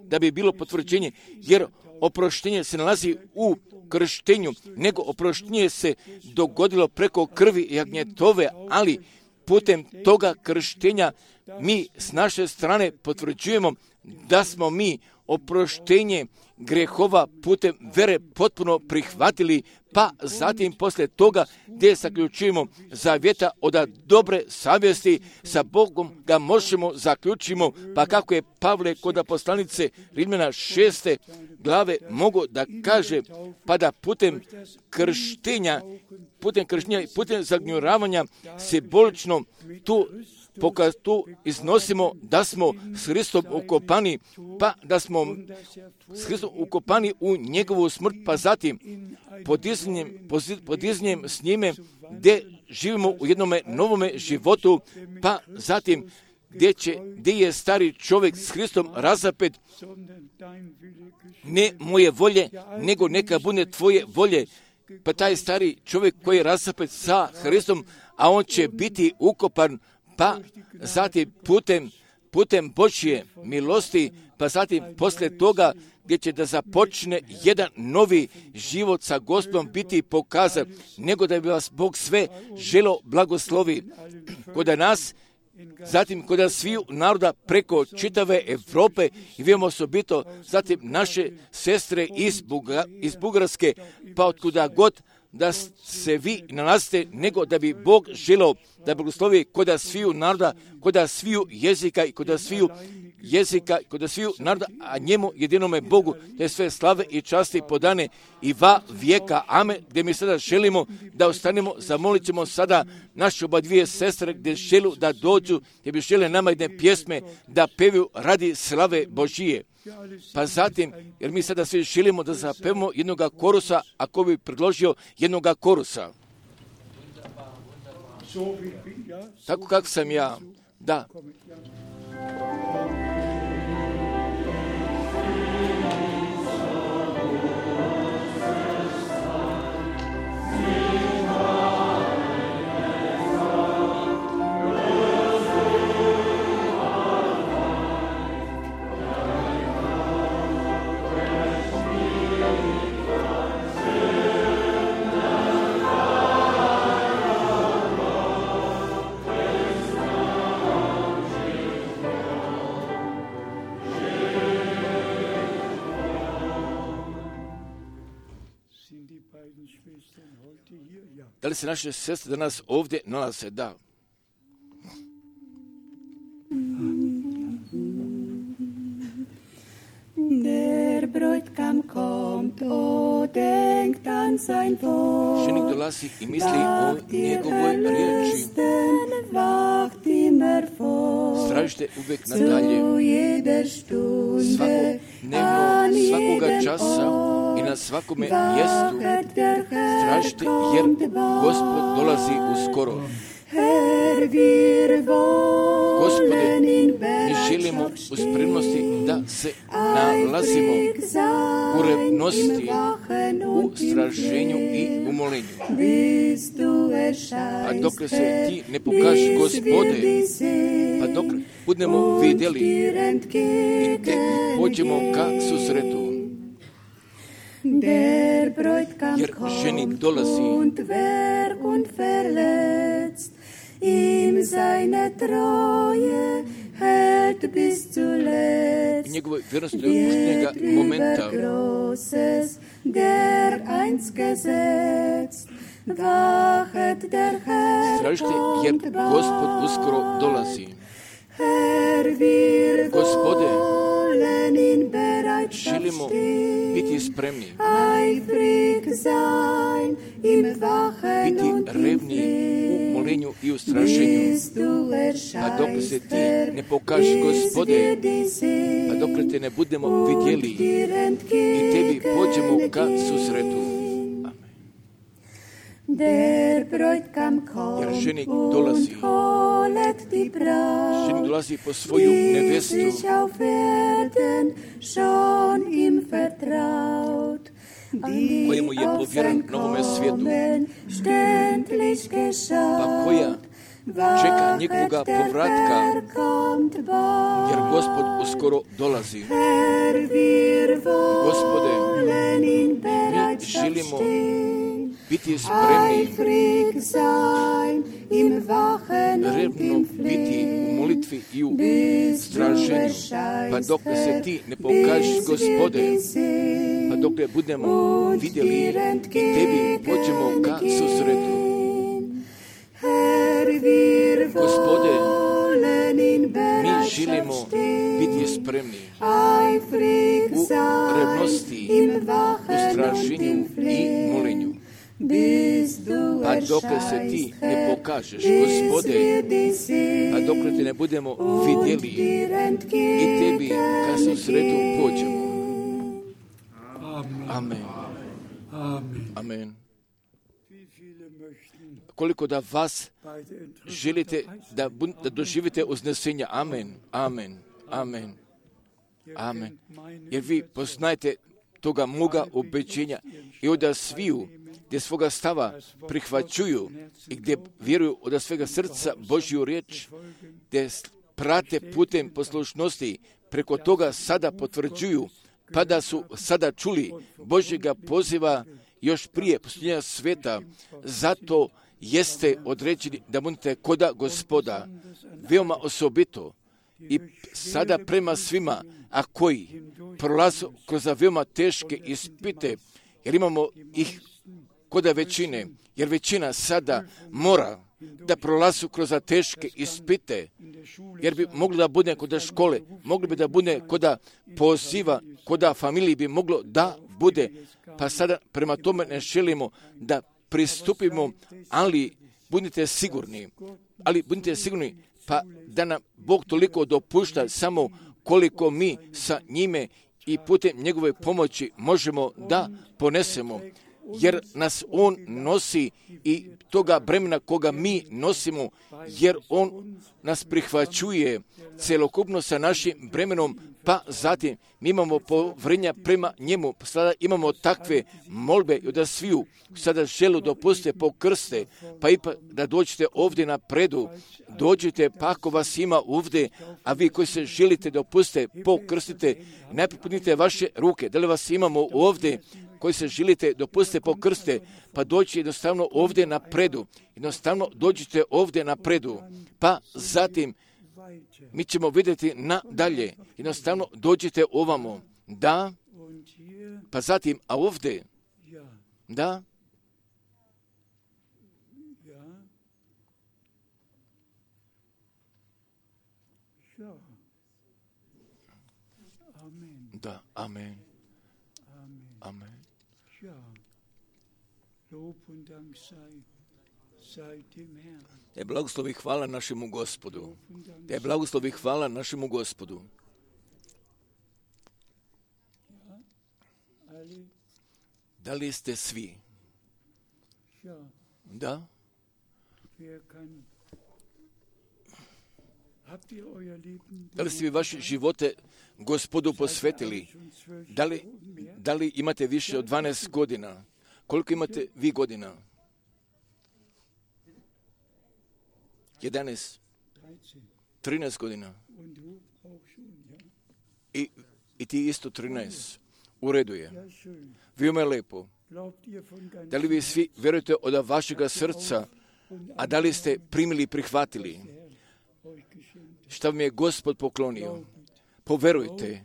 da bi bilo potvrđenje, jer oproštenje se nalazi u krštenju, nego oproštenje se dogodilo preko krvi jagnjetove, ali putem toga krštenja mi s naše strane potvrđujemo da smo mi oproštenje grehova putem vere potpuno prihvatili, pa zatim poslije toga gdje zaključujemo zavjeta od dobre savjesti sa Bogom ga možemo zaključimo, pa kako je Pavle kod poslanice Rimljana 6. glave mogu da kaže, pa da putem krštenja, putem zagnjuravanja simbolično tu iznosimo da smo s Hristom ukopani, pa da smo s Hristom ukopani u njegovu smrt, pa zatim podizanjem s njime gdje živimo u jednome novome životu, pa zatim gdje je stari čovjek s Hristom razapet, ne moje volje, nego neka bude tvoje volje. Pa taj stari čovjek koji je razapet sa Hristom, a on će biti ukopan, pa zatim putem Božje milosti, pa zatim poslije toga gdje će da započne jedan novi život sa Gospodom biti pokazan, nego da bi vas Bog sve želo blagoslovi kod nas, zatim kod sviju naroda preko čitave Europe i vidimo osobito zatim naše sestre iz Bugarske, pa otkuda god da se vi nalazite, nego da bi Bog želeo da blagoslovi kod sviju naroda, kod sviju jezika i kod sviju naroda, a njemu jedinome Bogu te sve slave i časti podane i va vijeka. Amen. Gdje mi sada želimo da ostanemo, zamolit ćemo sada naše oba dvije sestre gdje želu da dođu, gdje bi žele nama jedne pjesme da pevaju radi slave Božije. Pa zatim, jer mi sada svi želimo da zapevamo jednoga korusa, ako bi predložio jednoga korusa. Tako kako sam ja, da. Da li se naše sestre danas ovdje nalaze? Da. Der Bräutigam kommt, o denkt an sein Wort. Ženik dolazi i misli o njegovoj riječi. Wacht immer vor. Stražite uvijek nadalje. Svakodnevno, svakoga časa i na svakome mjestu. Stražite jer Gospod dolazi uskoro. Gospode, mi želimo u spremnosti da se nalazimo u revnosti, u straženju i u molenju. Pa dok se ti ne pokaži, Gospode, pa dok budemo vidjeli i te pođemo ka susretu. Jer ženik dolazi ihm seine Treue hält bis zuletzt. I njegove vjernosti do posljednjega momenta. Der einst gesetzt, wachet der Herr. Stražite jer Gospod uskoro dolazi. Gospode, želimo biti spremni, biti revni u molenju i u straženju, pa dok se ti ne pokažeš, Gospode, pa dok te ne budemo vidjeli i tebi pođemo ka susretu. Jer ženik dolazi. Ženik dolazi po svoju nevestu. Kojemu je povjeren novome svijetu. Pa koja čeka njegovoga povratka, jer Gospod uskoro dolazi. Gospode, mi želimo biti spremni, eifrig sein im Wachen und revno im biti u molitvi i u bis du straženju, pa dok se ti ne pokažeš, Gospode, pa dok ne budemo vidjeli i tebi pođemo ka susretu. Gospode, mi želimo biti spremni u revnosti, u straženju i molenju. Pa dok se ti ne pokažeš, Gospode, pa dok te ne budemo vidjeli i tebi ka susretu pođemo. Amen. Amen. Koliko da vas želite da doživite uznesenja. Amen. Amen. Amen. Amen. Jer vi poznajete toga moga obećenja i od sviju gdje svoga stava prihvaćuju i gdje vjeruju od svega srca Božju riječ, gdje prate putem poslušnosti, preko toga sada potvrđuju, pa da su sada čuli Božjega poziva još prije posljednja sveta. Zato jeste određeni da budete koda Gospoda, veoma osobito i sada prema svima, a koji prolaze kroz veoma teške ispite, jer imamo ih koda većine, jer većina sada mora da prolazu kroz teške ispite, jer bi moglo da bude koda škole, moglo bi da bude koda poziva, koda familiji bi moglo da bude, pa sada prema tome ne želimo da pristupimo, ali budite sigurni, pa da nam Bog toliko dopušta samo koliko mi sa njime i putem njegove pomoći možemo da ponesemo, jer nas On nosi i toga bremena koga mi nosimo, jer On nas prihvaćuje celokupno sa našim bremenom, pa zatim mi imamo povrenja prema njemu. Sada imamo takve molbe i da sviju sada želu dopuste pokrste, pa ipak da dođete ovdje na predu, dođite pa ako vas ima ovdje, a vi koji se želite dopuste pokrstite, najprije podnite vaše ruke, da li vas imamo ovdje koji se želite dopustite pokrste, pa dođite jednostavno ovdje na predu. Jednostavno dođite ovdje na predu, pa zatim mi ćemo vidjeti nadalje. Jednostavno dođite ovamo. Da, pa zatim, a ovdje, da, da, amen. Amen. Te blagoslovi hvala našemu Gospodu. Te blagoslovi hvala našemu Gospodu. Da li ste svi? Da? Da li ste vi vaše živote Gospodu posvetili? Da li imate više od 12 godina? Koliko imate vi godina? 11, 13 godina. I ti isto 13. U redu je. Veoma je lepo. Da li vi svi vjerujete od vašega srca, a da li ste primili i prihvatili šta vam je Gospod poklonio? Poverujte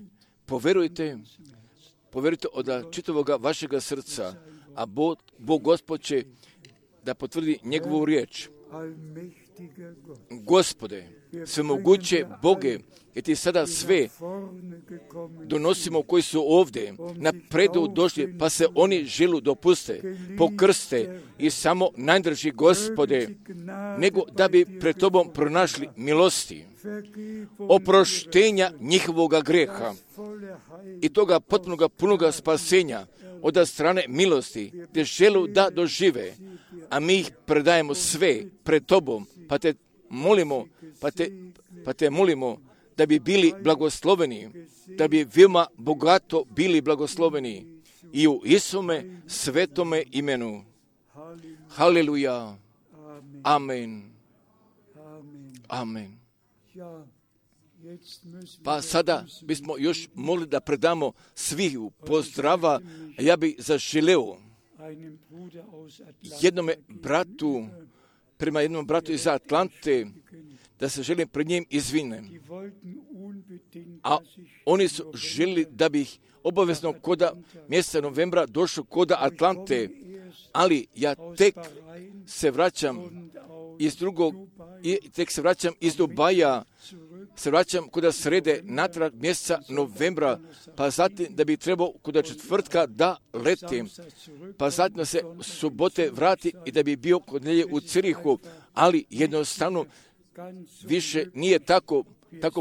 od čitavoga vašega srca, a Bog Gospod će da potvrdi njegovu riječ. Gospode, svemoguće Boge, jer ti sada sve donosimo koji su ovdje na predu došli, pa se oni želu dopuste, pokrste i samo najdrži Gospode, nego da bi pred tobom pronašli milosti, oproštenja njihovoga greha i toga potpunoga punoga spasenja od strane milosti, gdje želu da dožive, a mi ih predajemo sve pred tobom, pa te molimo da bi bili blagosloveni, da bi veoma bogato bili blagosloveni i u Isume svetome imenu. Haleluja. Amen. Amen. Pa sada bismo još mogli da predamo svih pozdrava, a ja bih zaželeo prema jednom bratu iz Atlante, da se želim pred njim izvinem. A oni su želili da bih obavezno koda mjeseca novembra došao koda Atlante, ali ja tek se vraćam iz Dubaja, se vraćam koda srede natrag mjeseca novembra, pa zatim da bi trebao koda četvrtka da letim, pa zatim da se subote vrati i da bi bio kod nelje u Cirihu, ali jednostavno više nije tako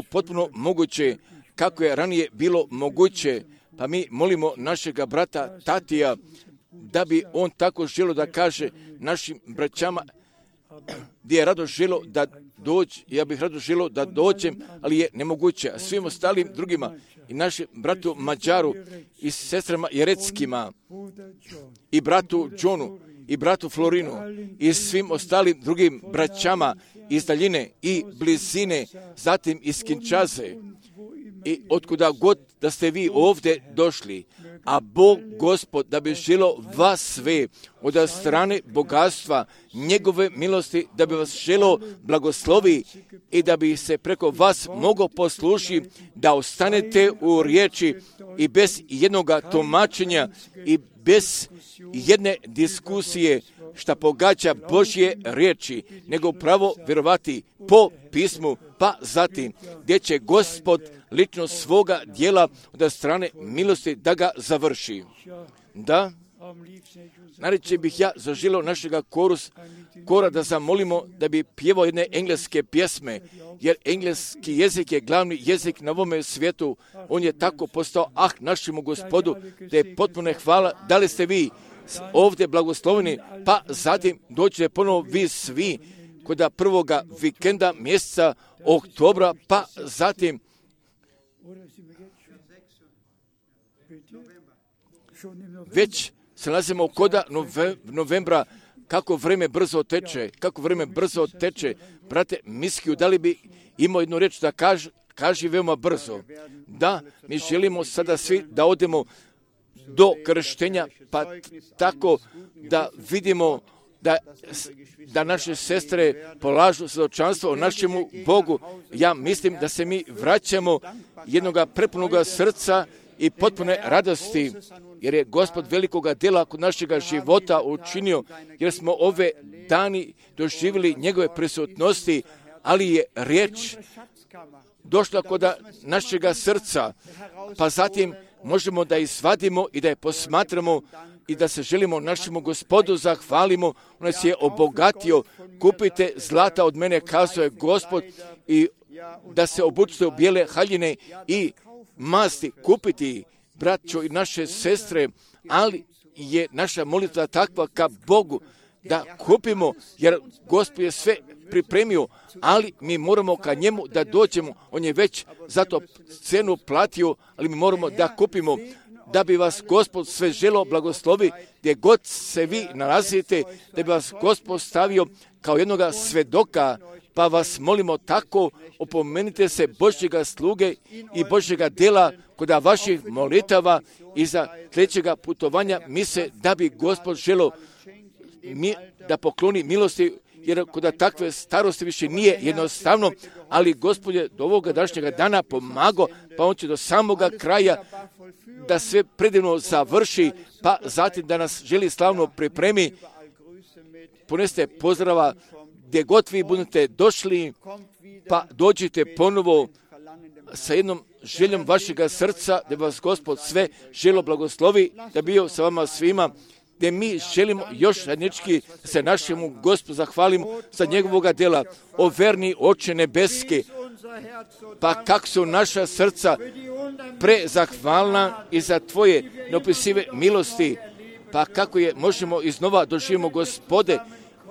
potpuno moguće kako je ranije bilo moguće. Pa mi molimo našega brata Tatija da bi on tako želio da kaže našim braćama gdje je rado želio da dođe, ja bih rado želio da dođem, ali je nemoguće. A svim ostalim drugima i našem bratu Mađaru i sestrama Jereckima i bratu Johnu i bratu Florinu i svim ostalim drugim braćama iz daljine i blizine, zatim iz Kinčaze i otkuda god da ste vi ovdje došli, a Bog Gospod da bi želio vas sve od strane bogatstva njegove milosti, da bi vas želio blagoslovi i da bi se preko vas mogao poslušiti da ostanete u riječi i bez jednoga tumačenja i bez jedne diskusije šta pogađa Božje riječi, nego pravo vjerovati po pismu, pa zatim gdje će Gospod lično svoga dijela od strane milosti da ga završi. Da, najreće bih ja zaželio našega kora da zamolimo da bi pjevao jedne engleske pjesme, jer engleski jezik je glavni jezik na ovome svijetu. On je tako postao našemu Gospodu, da je potpuno hvala. Da li ste vi ovdje blagosloveni, pa zatim dođete ponovo vi svi kod prvoga vikenda mjeseca oktobra, pa zatim već se nalazimo koda novembra. Kako vrijeme brzo teče, brate Miskiju, da li bi imao jednu riječ da kaži veoma brzo? Da, mi želimo sada svi da odemo do krštenja, pa tako da vidimo da naše sestre polažu svjedočanstvo o našemu Bogu. Ja mislim da se mi vraćamo jednoga prepunoga srca i potpune radosti, jer je Gospod velikoga djela kod našega života učinio, jer smo ove dani doživjeli njegove prisutnosti, ali je riječ došla kod našega srca, pa zatim možemo da izvadimo i da je posmatramo i da se želimo našemu Gospodu zahvalimo. On nas je obogatio. Kupite zlata od mene, kazao je Gospod, i da se obučite u bijele haljine i masti, kupiti, braćo i naše sestre, ali je naša molitva takva ka Bogu da kupimo, jer Gospod je sve pripremio, ali mi moramo ka njemu da dođemo. On je već za to cenu platio, ali mi moramo da kupimo, da bi vas Gospod sve želio blagoslovi gdje god se vi nalazite, da bi vas Gospod stavio kao jednoga svedoka, pa vas molimo tako, opomenite se Božjega sluge i Božjega djela kod vaših molitava i za trećega putovanja mise, da bi Gospod želio da pokloni milosti, jer kod takve starosti više nije jednostavno, ali Gospod je do ovoga današnjega dana pomagao, pa on će do samoga kraja da sve predivno završi, pa zatim da nas želi slavno pripremi. Poneste pozdrava gdje god vi budete došli, pa dođite ponovo sa jednom željom vašega srca, da vas Gospod sve želo blagoslovi, da bio sa vama svima, gdje mi želimo još zajednički se našemu Gospodu zahvalimo za njegovoga djela. O verni Oče nebeski, pa kak su naša srca prezahvalna i za tvoje neopisive milosti, pa kako je možemo iznova doživimo Gospode,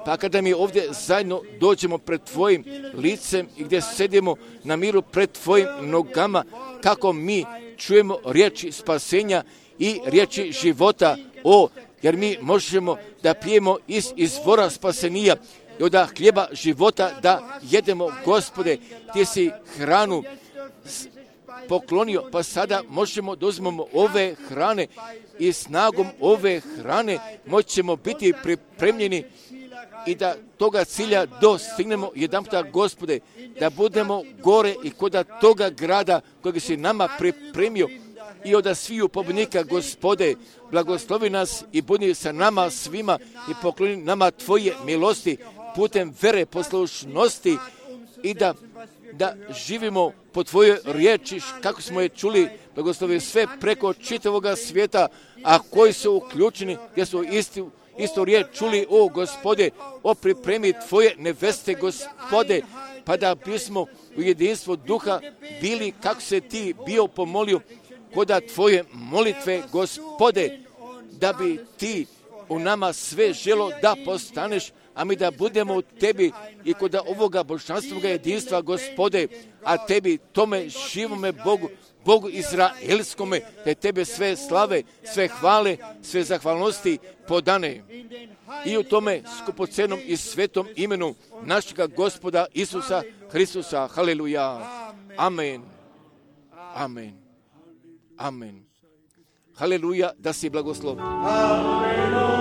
pa kada mi ovdje zajedno dođemo pred tvojim licem i gdje sedimo na miru pred tvojim nogama, kako mi čujemo riječi spasenja i riječi života, jer mi možemo da pijemo iz izvora spasenija i od hljeba života da jedemo, Gospode, ti si hranu poklonio, pa sada možemo da uzmemo ove hrane i snagom ove hrane moćemo biti pripremljeni i da toga cilja dostignemo jedanputa, Gospode, da budemo gore i kod toga grada kojeg si nama pripremio i od sviju pobjednika, Gospode, blagoslovi nas i budi sa nama svima i pokloni nama Tvoje milosti putem vere, poslušnosti i da živimo po Tvojoj riječi, kako smo je čuli, blagoslovi sve preko čitavoga svijeta, a koji su uključeni, gdje su istu riječ čuli, o Gospode, o pripremi Tvoje neveste, Gospode, pa da bismo u jedinstvu duha bili kako se Ti bio pomolio koda Tvoje molitve, Gospode, da bi Ti u nama sve želo da postaneš, a mi da budemo u Tebi i kod ovoga božanstvoga jedinstva, Gospode, a Tebi, tome živome Bogu Izraelskome, da Tebe sve slave, sve hvale, sve zahvalnosti podane. I u tome skupocenom i svetom imenu našega Gospoda Isusa Hristusa. Haleluja. Amen. Amen. Amen. Haleluja, da si blagoslov. Haleluja.